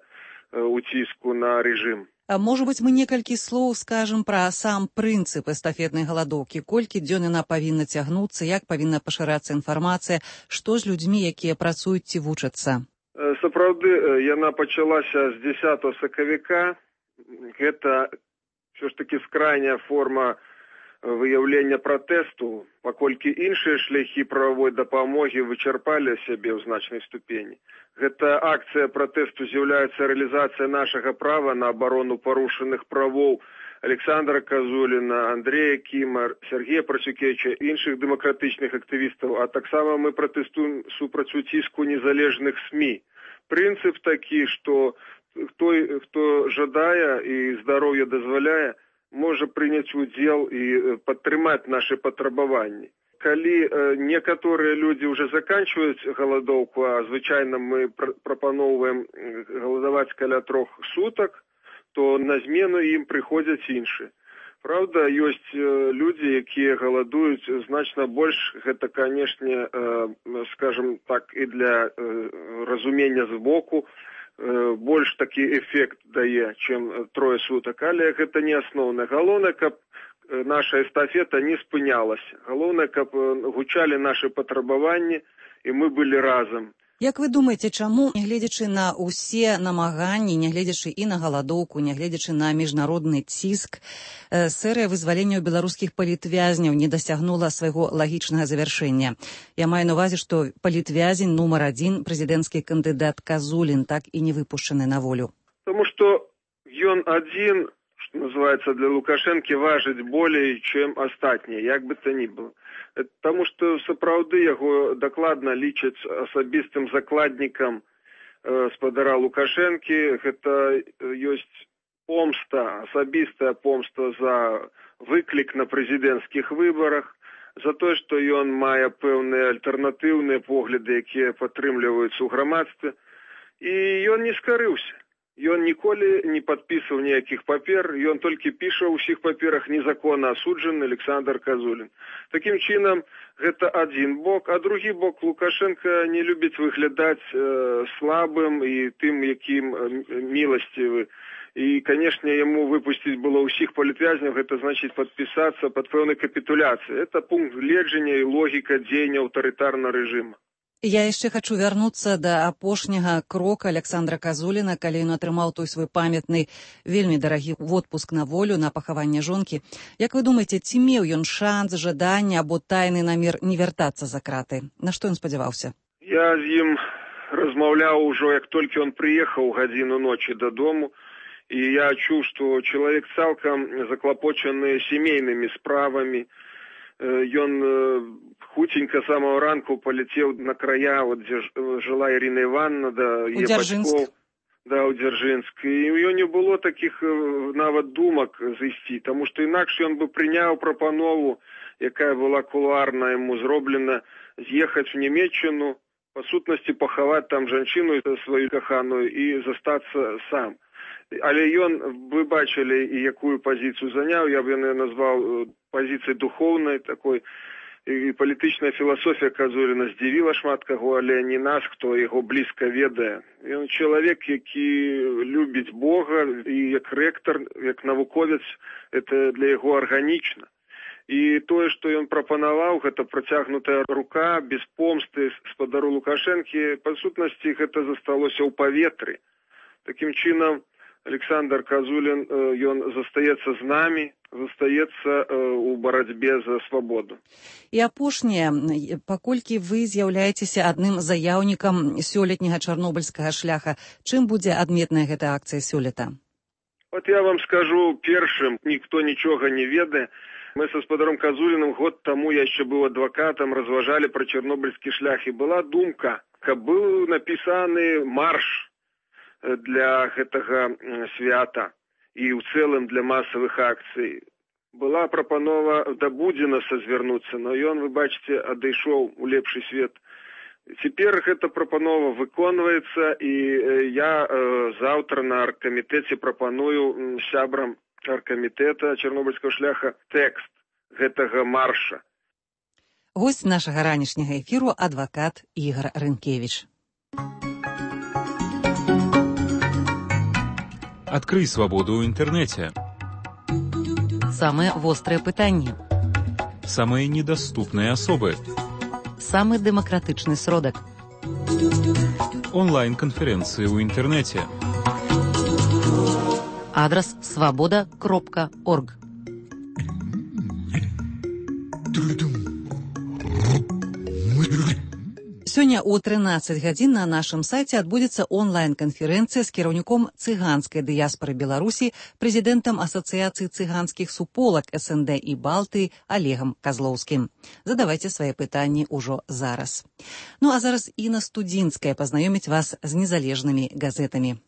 уціску на рэжым. А можа быць, мы некалькі слоў скажам пра сам прынцып эстафетнай галадоўкі. Колькі дзён яна павінна цягнуцца, як павінна пашырацца інфармацыя, што з людзьмі, якія працуюць ці вучацца? Сапраўды, яна пачалася з 10 сакавіка. Гэта ўсё ж такі скрайняя форма выяўлення пратэсту, паколькі іншыя шляхі прававой дапамогі вычарпалі сябе ў значнай ступені. Гэта акцыя пратэсту з'яўляецца рэалізацыя нашага права на абарону парушаных правоў Александра Казуліна, Андрэя Кіма, Сергея Працюкевіча, іншых дэмакратычных актывістаў, а таксама мы пратэстуем супраць уціску незалежных СМІ. Прынцып такі, што той, хто жадае і здароўе дазваляе, можа прыняць удзел і падтрымаць нашы патрабаванні. Калі некаторыя людзі ўжо заканчваюць галадоўку, а звычайна мы прапаноўваем галадаваць каля 3 сутак, то на змену ім прыходзяць іншыя. Праўда, ёсць людзі, якія галадуюць значна больш. Гэта, канешне, скажем так, і для разумення збоку, больш такі эфект дае, чым 3 сутак, але гэта не асноўнае. Галоўнае, каб наша эстафета не спынялася. Галоўнае, каб гучалі нашы патрабаванні, і мы былі разам. Як вы думаеце, чаму, нягледзячы на ўсе намаганні, нягледзячы і на галадоўку, нягледзячы на міжнародны ціск, серыя вызвалення беларускіх палітвязняў не дасягнула свайго лагічнага завяршэння? Я маю на увазе, што палітвязень нумар 1, прэзідэнцкі кандыдат Казулін, так і не выпушчаны на волю. Тому што ён адзін, што называецца, для Лукашэнкі важыць болей, чым астатнія, як бы то ни было. Таму што сапраўды яго дакладна лічаць асабістым закладнікам спадара Лукашэнкі. Гэта ёсць помста, асабістая помста за выклік на прэзідэнцкіх выбарах, за тое, што ён мае пэўныя альтэрнатыўныя погляды, якія падтрымліваюцца ў грамадстве. І ён не скарыўся. Ён ніколі не падпісаў ніякіх папер, ён толькі піша ў усіх паперах незаконна асуджаны Александр Казулін. Такім чынам, гэта адзін бок, а другі бок Лукашенко не любіць выглядаць слабым і тым, якім міласцівы. І, канешне, яму выпусціць было ўсіх палітвязняў, гэта значыць падпісацца пад пэўнай капітуляцыяй. Это пункт гледжання і логіка дзеяння аўтарытарнага рэжыма. Я яшчэ хачу вярнуцца да апошняга крока Александра Казуліна, калі ён атрымаў той свой памятны, вельмі дарагі водпуск на волю, на пахаванне жонкі. Як вы думаеце, ці меў ён шанс, жаданне або тайны намер не вяртацца за краты? На што ён спадзяваўся? Я з ім размаўляў ужо, як толькі ён прыехаў гадзіну ночы дадому, і я чуў, што чалавек цалкам заклапочаны сямейнымі справамі. Ён хуценька самого ранку полетел на края, вот, где жила Ирина Ивановна, да, ее бацькоў, да, у Дзяржынск. І у него не было таких нават думак зайсці, тому что інакш ён бы прыняў прапанову, якая была кулуарна ему зроблена, з'ехаць в Нямецчыну, по сутнасці пахаваць там жанчыну свою каханую і застацца сам. Але ён, вы бачылі, і якую пазіцыю заняў, я б яе назваў пазіцыяй духоўнай такой, і палітычная філасофія Казуліна здзівіла шмат каго, але не нас, хто яго блізка ведае. Ён чалавек, які любіць Бога, і як рэктар, як навуковец, это для яго арганічна. І тое, што ён прапанаваў, гэта працягнутая рука, без помсты спадару Лукашэнкі, па сутнасці гэта засталося ў паветры. Такім чынам, Александр Казулін, ён застаецца з намі, застаецца ў барацьбе за свабоду. І апошняе, паколькі вы з'яўляецеся адным заяўнікам сёлетняга чарнобыльскага шляха, чым будзе адметная гэта акцыя сёлета? Вот я вам скажу першым, ніхто нічога не ведае. Мы са спадаром Казуліным год таму, я яшчэ быў адвакатам, разважалі пра чарнобыльскі шлях, і была думка, каб быў напісаны марш для гэтага свята і ў цэлым для масавых акцый. Была прапанова да Будзінаса звярнуцца, но ён, вы бачыце, адышоў у лепшы свет. Цяпер гэта прапанова выконваецца, і я заўтра на аргкамітэце прапаную сябрам аргкамітэта чарнобыльскага шляха тэкст гэтага марша. Госць нашага ранішняга эфіру адвакат Ігор Рынкевіч. Открый свободу в интернете. Самые острые пытанні. Самые недоступные особы. Самый демократичный сродок. Онлайн-конференции в интернете. Адрес svoboda.org. Сёння о 13 гадзін на нашым сайце адбудзецца онлайн-канферэнцыя з кіраўніком цыганскай дыяспары Беларусі, прэзідэнтам Асацыяцыі цыганскіх суполак СНД і Балтыі Олегам Казлоўскім. Задавайце свае пытанні ўжо зараз. Ну а зараз Інна Студзінская пазнаёміць вас з незалежнымі газетамі.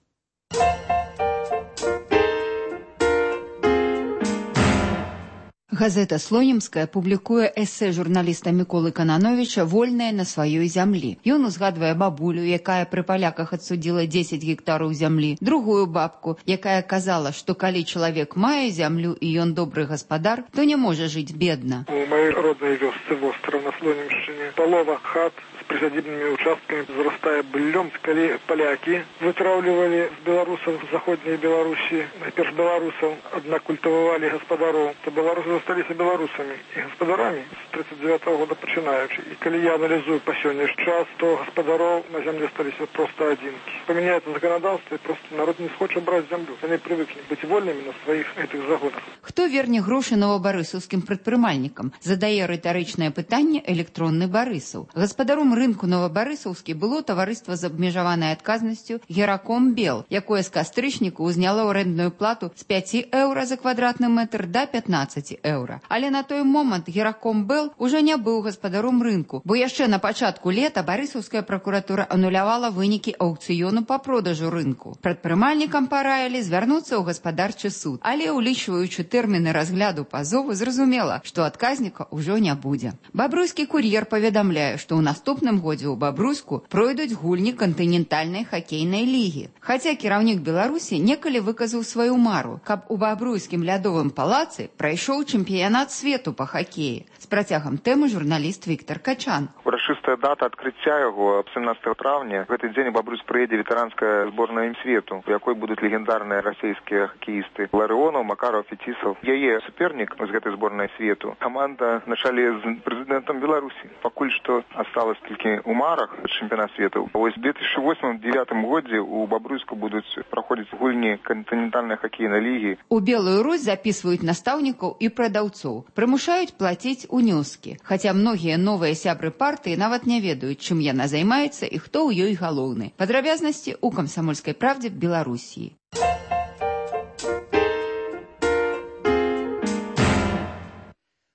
Газета «Слонімская» публікуе эсэ журналіста Міколы Канановіча «Вольная на сваёй зямлі». Ён узгадвае бабулю, якая пры паляках адсудзіла 10 гектараў зямлі, другую бабку, якая казала, што калі чалавек мае зямлю і ён добры гаспадар, то не можа жыць бедна. У маёй роднай вёсцы востраў на Слонімшчыне палова хат з прысядзібнымі участкамі зарастае быллём. Калі палякі вытраўлівалі з беларусаў з заходняй Беларусі, найперш беларусаў, аднак культывавалі гаспадароў, то беларусы засталіся беларусамі і гаспадарамі з 39-го года пачынаючы. І калі я аналізую па сённяшні час, то гаспадароў на зямлі сталіся проста адзінкі. Памяняецца заканадаўства, і проста народ не схоча браць зямлю. Яны прывыклі быць вольнымі на сваіх гэтых загонах. Хто верне грошы новабарысаўскім прадпрымальнікам? Задае рытарычнае пытанне электронны Барысаў. Гаспадаром рынку новабарысаўскі было таварыства з абмежаванай адказнасцю Гераком Бел, якое з кастрычніку ўзняло арэндную плату з 5 еўра за квадратны метр да 15 еўра. Але на той момант Гераком Бел ужо не быў гаспадаром рынку, бо яшчэ на пачатку лета барысаўская пракуратура анулявала вынікі аўкцыёну па продажу рынку. Прадпрымальнікам параілі звярнуцца ў гаспадарчы суд, але улічваючы тэрміны разгляду пазову, зразумела, што адказніка ўжо не будзе. Бабруйскі кур'ер паведамляе, што ў наступным годзе ў Бабруйску пройдуць гульні кантынентальнай хакейнай лігі. Хаця кіраўнік Беларусі некалі выказаў сваю мару, каб у Бабруйскім лядовым палацы прайшоў чэмпіянат свету па хакеі. З працягам тэмы журналіст Віктор Качан. Урачыстая дата адкрыцця яго 17 траўня. В гэты дзень у Бабруйск прыедзе ветэранская зборная свету, у якой будуць легендарныя расійскія хакеісты Ларыонаў, Макараў, Фетісаў. Яе супернік з гэтай зборнай свету каманда на чале з прэзідэнтам Беларусі. Пакуль што асталось толькі ў марах чэмпіянат свету. Вось 2008-2009 годзе у Бабруйску будуць праходзіць гульні кантынентальнай хакейнай лігі. У Белую Русь запісваюць настаўнікаў і прадаўцоў, прымушаюць плаціць унёскі. Хаця многія новыя сябры партыі нават не ведаюць, чым яна займаецца і хто ў ёй галоўны. Падрабязнасці ў камсамольскай правдзе Беларусі.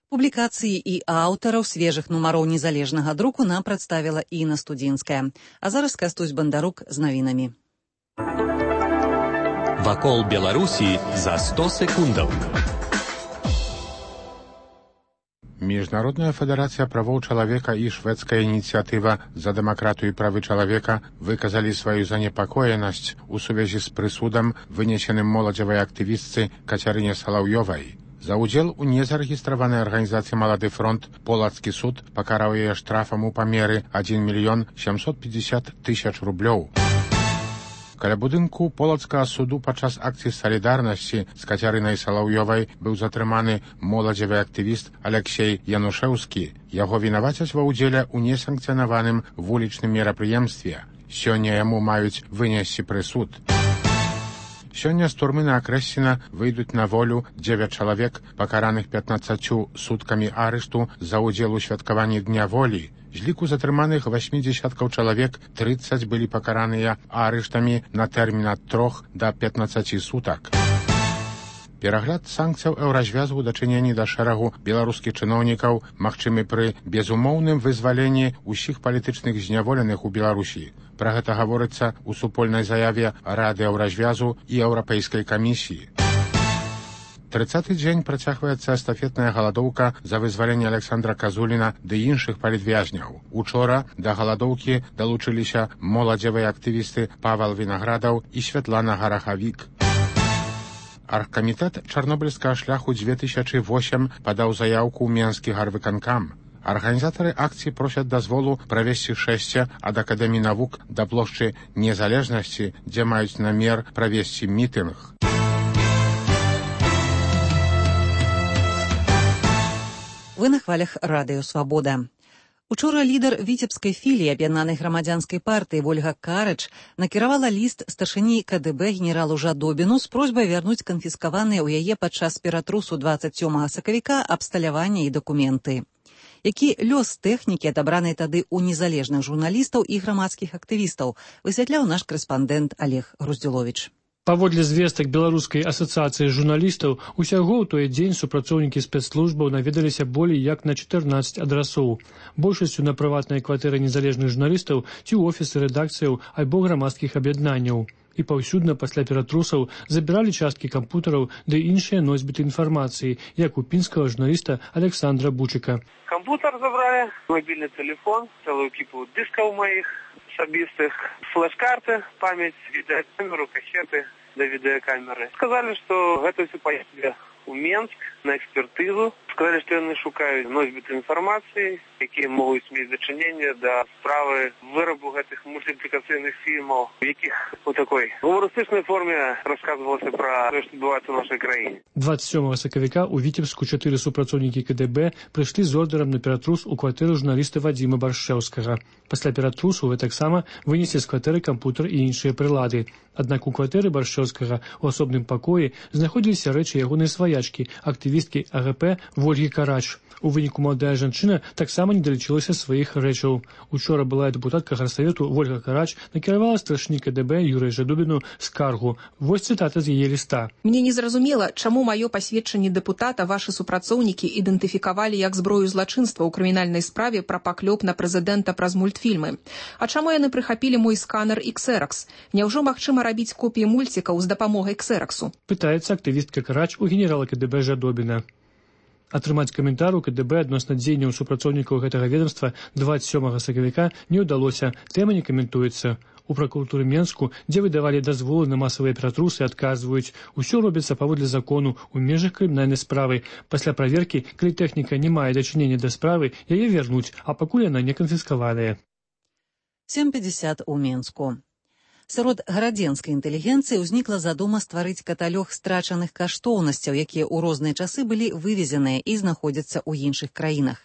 Публікацыі і аўтараў свежых нумароў незалежнага друку нам прадставіла Інна Студзінская. А зараз Кастусь Бандарук з навінамі. Вакол Беларусі за 100 секундаў. Міжнародная федэрацыя правоў чалавека і шведская ініцыятыва за дэмакратыю і правы чалавека выказалі сваю занепакоенасць у сувязі з прысудам, вынесеным моладзевай актывістцы Кацярыне Салаўёвай. За ўдзел у незарэгістраванай арганізацыі «Малады фронт» полацкі суд пакараў яе штрафам у памеры 1 мільён 750 тысяч рублёў. Каля будынку полацкага суду падчас акцыі салідарнасці з Кацярынай Салаўёвай быў затрыманы моладзевы актывіст Алексей Янушэўскі. Яго вінавацяць ва ўдзеле ў несанкцыянаваным вулічным мерапрыемстве. Сёння яму маюць вынесці прысуд. Сёння з турмы на Акрэсціна выйдуць на волю 9 чалавек, пакараных 15 суткамі арышту за ўдзел у святкаванні Дня волі. З ліку затрыманых 80 чалавек 30 былі пакараныя арыштамі на тэрмін ад 3 да 15 сутак. Перагляд санкцыяў еўразвязу ў дачыненні да шэрагу беларускіх чыноўнікаў магчымы пры безумоўным вызваленні ўсіх палітычных зняволеных у Беларусі. Пра гэта гаворыцца ў супольнай заяве Рады еўразвязу і Еўрапейскай камісіі. 30-й дзень працягваецца эстафетная галадоўка за вызваленне Александра Казуліна ды іншых палітвязняў. Учора да галадоўкі далучыліся моладзевыя актывісты Павел Вінаградаў і Святлана Гарахавік. Аргкамітэт чарнобыльскага шляху 2008 падаў заяўку ў Менскі гарвыканкам. Арганізатары акцыі просяць дазволу правесці шэсце ад Акадэміі навук да плошчы Незалежнасці, дзе маюць намер правесці мітынг. Вы на хвалях Радыё Свабода. Учора лідар віцебскай філіі аб'яднанай грамадзянскай партыі Вольга Карыч накіравала ліст старшыні КДБ генералу Жадобіну з просьбай вярнуць канфіскаваныя ў яе падчас ператрусу 27 сакавіка абсталяванне і дакументы. Які лёс тэхнікі, адабранай тады ў незалежных журналістаў і грамадскіх актывістаў, высвятляў наш корэспандэнт Олег Груздзюловіч. Паводле звестак Беларускай асацыяцыі журналістаў, усяго ў той дзень супрацоўнікі спецслужбаў наведаліся болей як на 14 адрасоў. Большасцю на прыватныя кватэры незалежных журналістаў ці ў офісы рэдакцыяў альбо грамадскіх аб'яднанняў. І паўсюдна пасля ператрусаў забіралі часткі кампутараў ды іншыя носьбіты інфармацыі, як у пінскага журналіста Александра Бучыка. Компьютер забрали, мобильный телефон, целую кипу дисков моих особистых, флеш-карты, память, видеокамеру, кассеты до видеокамеры. Сказали, что это все поехали в Минск на экспертизу. В Сказалі, што яны шукаюць носьбіты інфармацыі, якія могуць мець дачыненне да справы вырабу гэтых мультиплікацыйных фільмаў, у якіх у такой гумарыстычнай форме расказвалася пра тое, што адбываецца ў нашай краіне. 27 сакавіка ў Віцебску 4 супрацоўнікі КДБ прыйшлі з ордэрам на ператрус у кватэру журналіста Вадзіма Баршчэўскага. Пасля ператрусу вы таксама вынеслі з кватэры кампутер і іншыя прылады. Аднак у кватэры Баршчэўскага у асобным пакоі знаходзіліся рэчы ягонай сваячкі, актывісткі АГП Вольгі Карач. У выніку маладая жанчына таксама не далічылася сваіх рэчаў. Учора былая дэпутатка гарсавету Вольга Карач накіравала старшыні КДБ Юрыя Жадубіну скаргу. Вось цытата з яе ліста. Мне незразумела, чаму маё пасведчанне дэпутата вашы супрацоўнікі ідэнтыфікавалі як зброю злачынства ў крымінальнай справе пра паклёп на прэзідэнта праз мультфільмы. А чаму яны прыхапілі мой сканер Xerox? Няўжо магчыма рабіць копіі мульцікаў з дапамогай Xeroxу? Пытаецца актывістка Карач у генерала КДБ Жадобіна. Атрымаць каментар у КДБ адносна дзеянняў супрацоўнікаў гэтага ведомства 27 сакавіка не ўдалося, тэма не каментуецца. У пракуратуры Менску, дзе выдавалі дазволы на масавыя ператрусы, адказваюць, усё робіцца паводле закону ў межах крымінальнай справы. Пасля праверкі, калі тэхніка не мае дачынення да справы, яе вернуць, а пакуль яна не канфіскаваная. 7:50 у Менску. Сярод гарадзенскай інтэлігенцыі ўзнікла задума стварыць каталог страчаных каштоўнасцяў, якія ў розныя часы былі вывезеныя і знаходзяцца ў іншых краінах.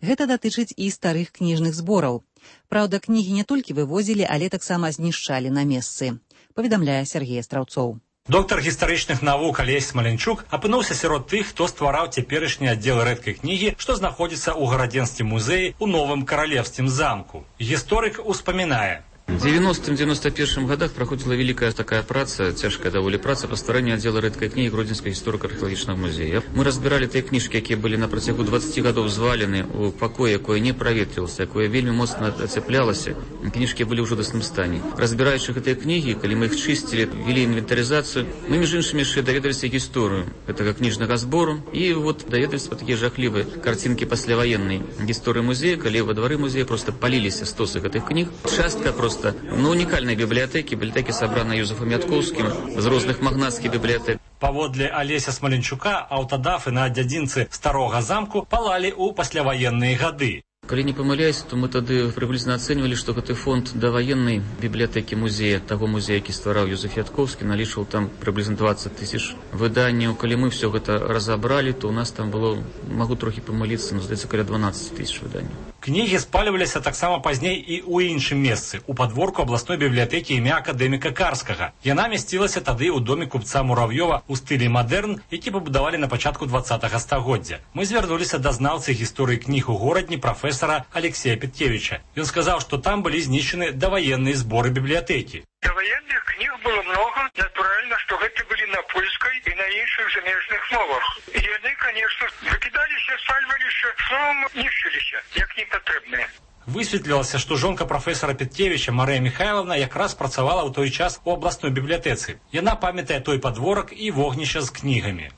Гэта датычыць і старых кніжных збораў. Праўда, кнігі не толькі вывозілі, але таксама знішчалі на месцы, паведамляе Сергей Страўцоў. Доктар гістарычных навук Алесь Смаленчук апынуўся сярод тых, хто ствараў цяперашні аддзел рэдкай кнігі, што знаходзіцца ў гарадзенскім музеі ў Новым Каралевскім замку. Гісторык успамінае. В 90-91 годах проходила великая такая праца, тяжкая довольно праца по стварэнню аддзела рэдкай кнігі Гродзенскага гісторыка-археалагічнага музея. Мы разбирали тыя кніжкі, якія былі на працягу 20 гадоў звалены ў пакоі, якое не праветрылася, якое вельмі моцна ацяплялася. Кніжкі былі ў жудасным стане. Разбіраючы гэтыя кнігі, калі мы іх чысцілі, вели інвентарызацыю, мы між іншымі яшчэ даведаліся гісторыю гэтага кніжнага збору і вот даведаліся па такія жахлівыя карцінкі пасляваеннай гісторыі музея, калі ва двары музея просто паліліся стосы гэтых кніг. Частка просто уникальной библиотеки собраны Юзефом Ятковским из разных магнатских библиотек. Паводле Алеся Смаленчука аўтадафы на дзядзінцы старога замку палалі ў пасляваенныя гады. Калі не памыляюсь, то мы тады прыблізна ацэньвалі, што гэты фонд даваеннай бібліятэкі музея, таго музея, які ствараў Юзеф Ятковскі, налічваў там прыблізна 20 000 выданняў. Калі мы все гэта разабралі, то у нас там было, магу трохі памыліцца, но здаецца, каля 12 000 выданняў. Кнігі спалюваліся таксама пазней і ў іншым месцы, у падворку абласной бібліятэкі імя акадэміка Карскага. Яна мясцілася тады ў доме купца Муравьёва ў стылі мадэрн, які пабудавалі на пачатку 20-го стагоддзя. Мы звярнуліся да знаўцы гісторыі кніг у горадні прафесара Алексея Петкевича. Ён сказаў, што там былі знішчаны даваенныя зборы бібліятэкі. Даваенных кніг было много. Натуральна, што гэта былі на польскай і на іншых замежных мовах. І яны, конечно, выкідаліся, спальваліся, словом, нішчыліся, як непатрэбныя. Высветлілася, што жонка прафесара Петкевича Марыя Михайловна якраз працавала ў той час у абласной бібліятэцы. Яна памятае той падворак і вогнішча з кнігамі.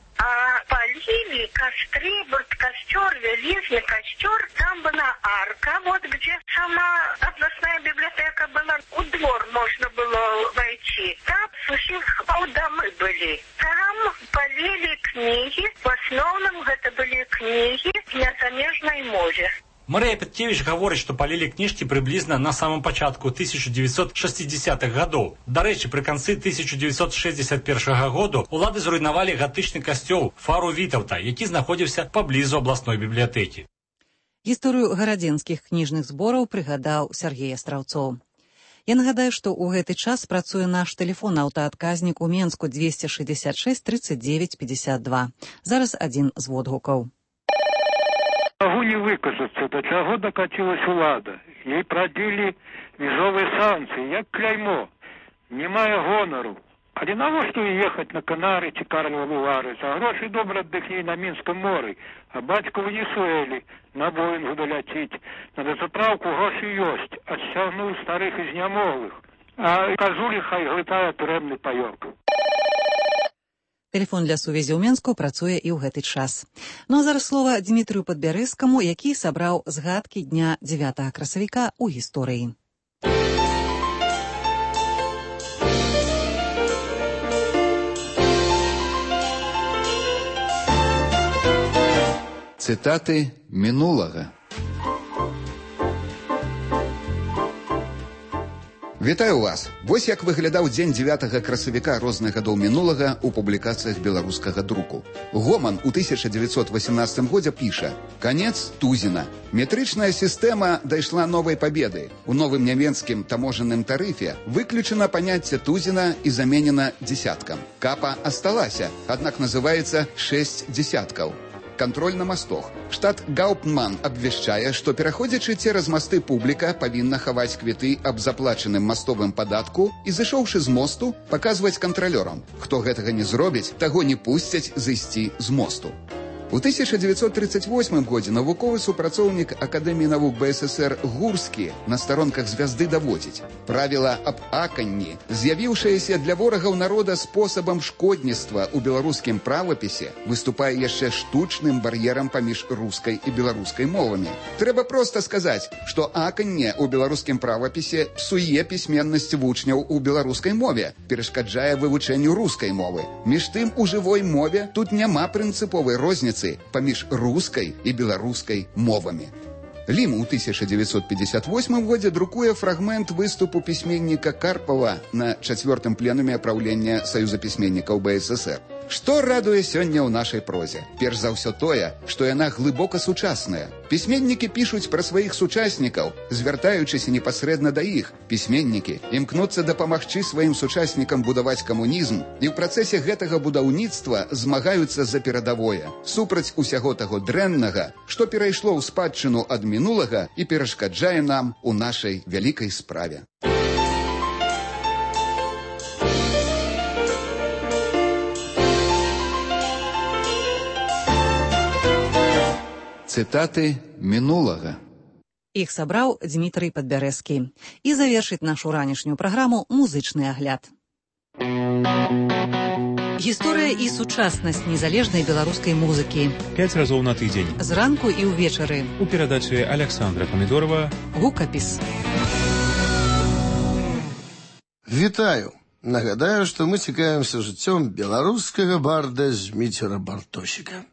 Палили костры, вот костер, великий костер, там была арка, вот где сама областная библиотека была, у двор можно было войти. Там сухих домы были. Там полили книги, в основном это были книги на замежной мове. Марыя Петкевич гаворыць, што палілі кніжкі прыблізна на самым пачатку 1960-х гадоў. Дарэчы, пры канцы 1961 году улады зруйнавалі гатычны касцёл Фару Вітаўта, які знаходзіўся паблізу абласной бібліятэкі. Гісторыю гарадзенскіх кніжных збораў прыгадаў Сергей Страўцоў. Я нагадаю, што ў гэты час працуе наш тэлефон-аўтаадказнік у Менску 266 39 52. Зараз адзін з водгукаў. Могу не выказаться, до чаго докатилась улада. Ей продели межовые санкции, як кляймо. Не мае гонору. Але навошта ехать на Канары ці Карловы Вары? За гроші добра аддыхні на Мінском моры. А бацьку в Венесуэлі на Боингу доляціць. На дозаправку гроші ёсць. Адсягнуў старых і знямоглых. А казулі хай глытае турэмны паёк. Тэлефон для сувязі ў Менску працуе і ў гэты час. Ну а зараз слова Дмітрыю Падбярэзскаму, які сабраў згадкі дня 9 красавіка ў гісторыі. Цытаты мінулага. Вітаю вас! Вось як выглядаў дзень 9 красавіка розных гадоў мінулага ў публікацыях беларускага друку. Гоман у 1918 годзе піша: «Конец Тузіна. Метрычная сістэма дайшла новай пабеды. У новым нямецкім таможенным тарыфе выключана паняцце Тузіна і заменена дзесяткам. Капа асталася, аднак называецца 6 дзесяткаў. Контроль на мостах. Штат Гауптман абвяшчае, што пераходзячы цераз масты публіка павінна хаваць квіты аб заплачаным мастовым падатку і, зышоўшы з мосту, паказваць кантралёрам. Хто гэтага не зробіць, таго не пусцяць зайсці з мосту. У 1938 годзе навуковы супрацоўнік Акадэміі навук БССР Гурскі на старонках «Звязды» даводзіць: правіла аб аканні, з'явіўшаяся для ворагаў народа спосабам шкодніцтва ў беларускім правапісе, выступае яшчэ штучным бар'ерам паміж рускай і беларускай мовамі. Трэба проста сказаць, што аканне ў беларускім правапісе псуе пісьменнасць вучняў у беларускай мове, перашкаджае вывучэнню рускай мовы. Між тым, у жывой мове тут няма прынцыповай розніцы паміж рускай і беларускай мовамі. Лім у 1958 годзе друкуе фрагмент выступу пісьменніка Карпова на 4-м пленуме правлення Саюза пісьменнікаў БССР. Што радуе сёння ў нашай прозе? Перш за ўсё тое, што яна глыбока сучасная. Пісьменнікі пішуць пра сваіх сучаснікаў, звяртаючыся непасрэдна да іх. Пісьменнікі імкнуцца дапамагчы сваім сучаснікам будаваць камунізм і ў працэсе гэтага будаўніцтва змагаюцца за перадавое, супраць усяго таго дрэннага, што перайшло ў спадчыну ад мінулага і перашкаджае нам у нашай вялікай справе. Цытаты мінулага. Іх сабраў Дмітрый Падбярэзкі. І завершыць нашу ранішнюю праграму музычны агляд. Гісторыя і сучаснасць незалежнай беларускай музыкі. 5 разоў на тыдзень. Зранку і ўвечары. У перадачы Александра Памідорова. Гукапіс. Вітаю! Нагадаю, што мы цікавімся жыццём беларускага барда Зміцера Бартосіка.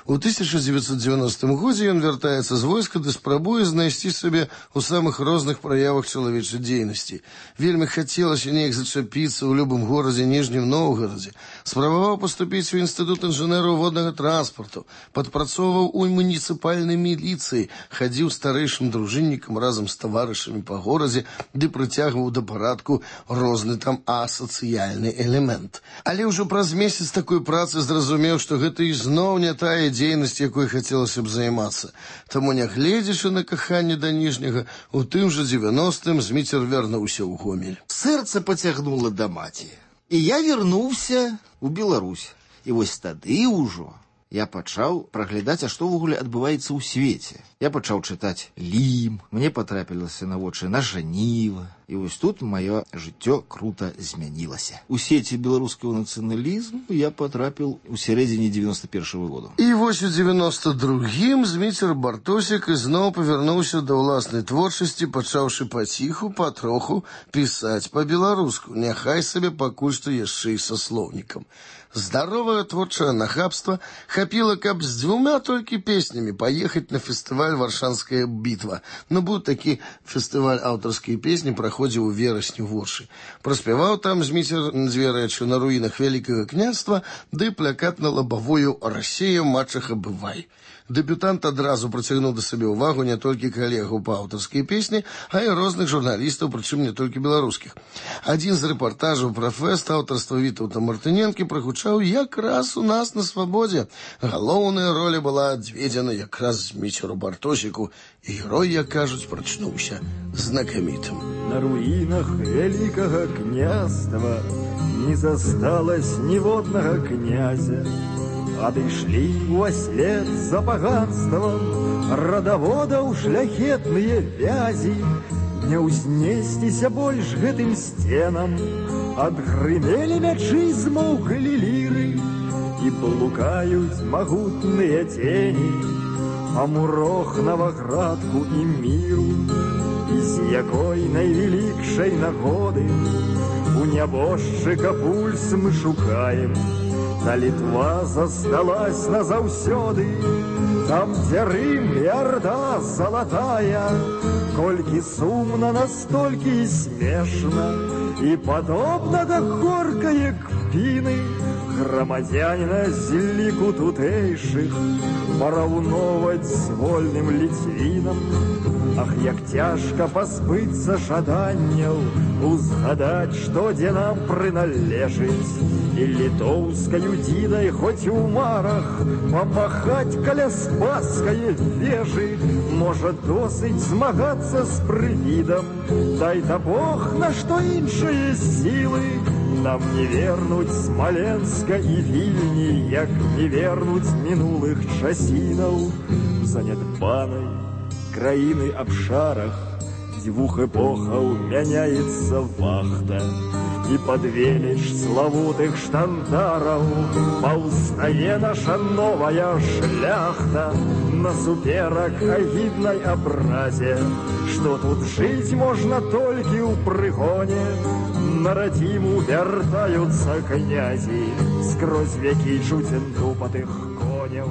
У 1990 годзе ён вяртаецца з войска ды спрабуе знайсці сабе ў самых розных праявах чалавечай дзейнасці. Вельмі хацелася неяк зачапіцца ў любым горадзе Ніжнім Новгарадзе. Спрабаваў паступіць у інстытут інжынераў воднага транспарту, падпрацоўваў у муніцыпальнай міліцыі, хадзіў старэйшым дружыннікам разам з таварышамі па горадзе ды прыцягваў да парадку розны там асацыяльны элемент. Але ўжо праз месяц такой працы зразумеў, што гэта ізноў не тая дзейнасць, якой хацелася б займацца. Таму, нягледзячы на каханне да ніжняга, у тым жа 90-м Зміцер вярнуўся ў Гомель. Сэрца пацягнула да маці. І я вярнуўся ў Беларусь. І вось тады ўжо я пачаў праглядаць, а што ўвогуле адбываецца ў свеце. Я пачаў чытаць Лім, мне патрапілася на вочы на Жаніва. І вось тут маё жыццё крута змянілася. У сеці беларускага нацыяналізму я патрапіў у сярэдзіне 91-го году. І вось у 92-м Зміцер Бартосік ізноў павярнуўся да ўласнай творчасці, пачаўшы паціху, патроху пісаць па-беларуску, няхай сабе пакуль што яшчэ і са слоўнікам. Здаровае творчае нахабства хапіла, каб з 2 толькі песнямі паехаць на фестываль «Варшанская бітва». Ну, быў такі фестываль аўтарскай песні, праходзіў у верасні ў Оршы. Праспяваў там Зміцер 2 рэчы на руінах Вялікага княства ды плакат на лабавую «Расія, мачаха, бывай». Дэбютант адразу прыцягнуў да сабе ўвагу не толькі калегаў па аўтарскай песні, а і розных журналістаў, прычым не толькі беларускіх. Адзін з рэпартажаў пра фэст аўтарства Вітаўта Мартыненкі прагучаў якраз у нас на свабодзе. Галоўная роля была адведзена якраз Зміцеру Бартосіку, і герой, як кажуць, прачнуўся знакамітым. На руінах Вялікага княства не засталось ніводнага князя. Адышлі ўслед за паганствам радаводаў шляхетныя вязі. Не ўзнесціся больш гэтым сценам, адгрымелі мячы, змоўклі ліры, і блукаюць магутныя цені па мурох Наваградку і міру. І з якой найвелікшай нагоды у нябожчыка пульс мы шукаем, та Літва засталась назаўсёды там, где Рим и Орда золотая, кольки сумно, настолько и смешно, и подобно до горкае кпины громадянина зеліку тутейших параўноваць з вольным ліцвінам. Ах, як цяжка пазбыцца жаданняў, узгадаць, што дзе нам прыналежыць, і літоўскаю дзідай хоць у марах памахаць каля спаскае вежы. Можа, досыць змагацца з прывідам, дай-то Бог на што іншыя сілы. Нам не вернуць Смоленска і Вільні, як не вернуць мінулых часінаў. Занядбанай краіны абшарах дзвюх эпохаў мяняецца вахта, і пад веліч славутых штандараў паўстае наша новая шляхта. Насуперак агіднай абразе, што тут жыць можна толькі ў прыгоне, на радзіму вяртаюцца князі, скрозь вякі чуцen тупатых коняў.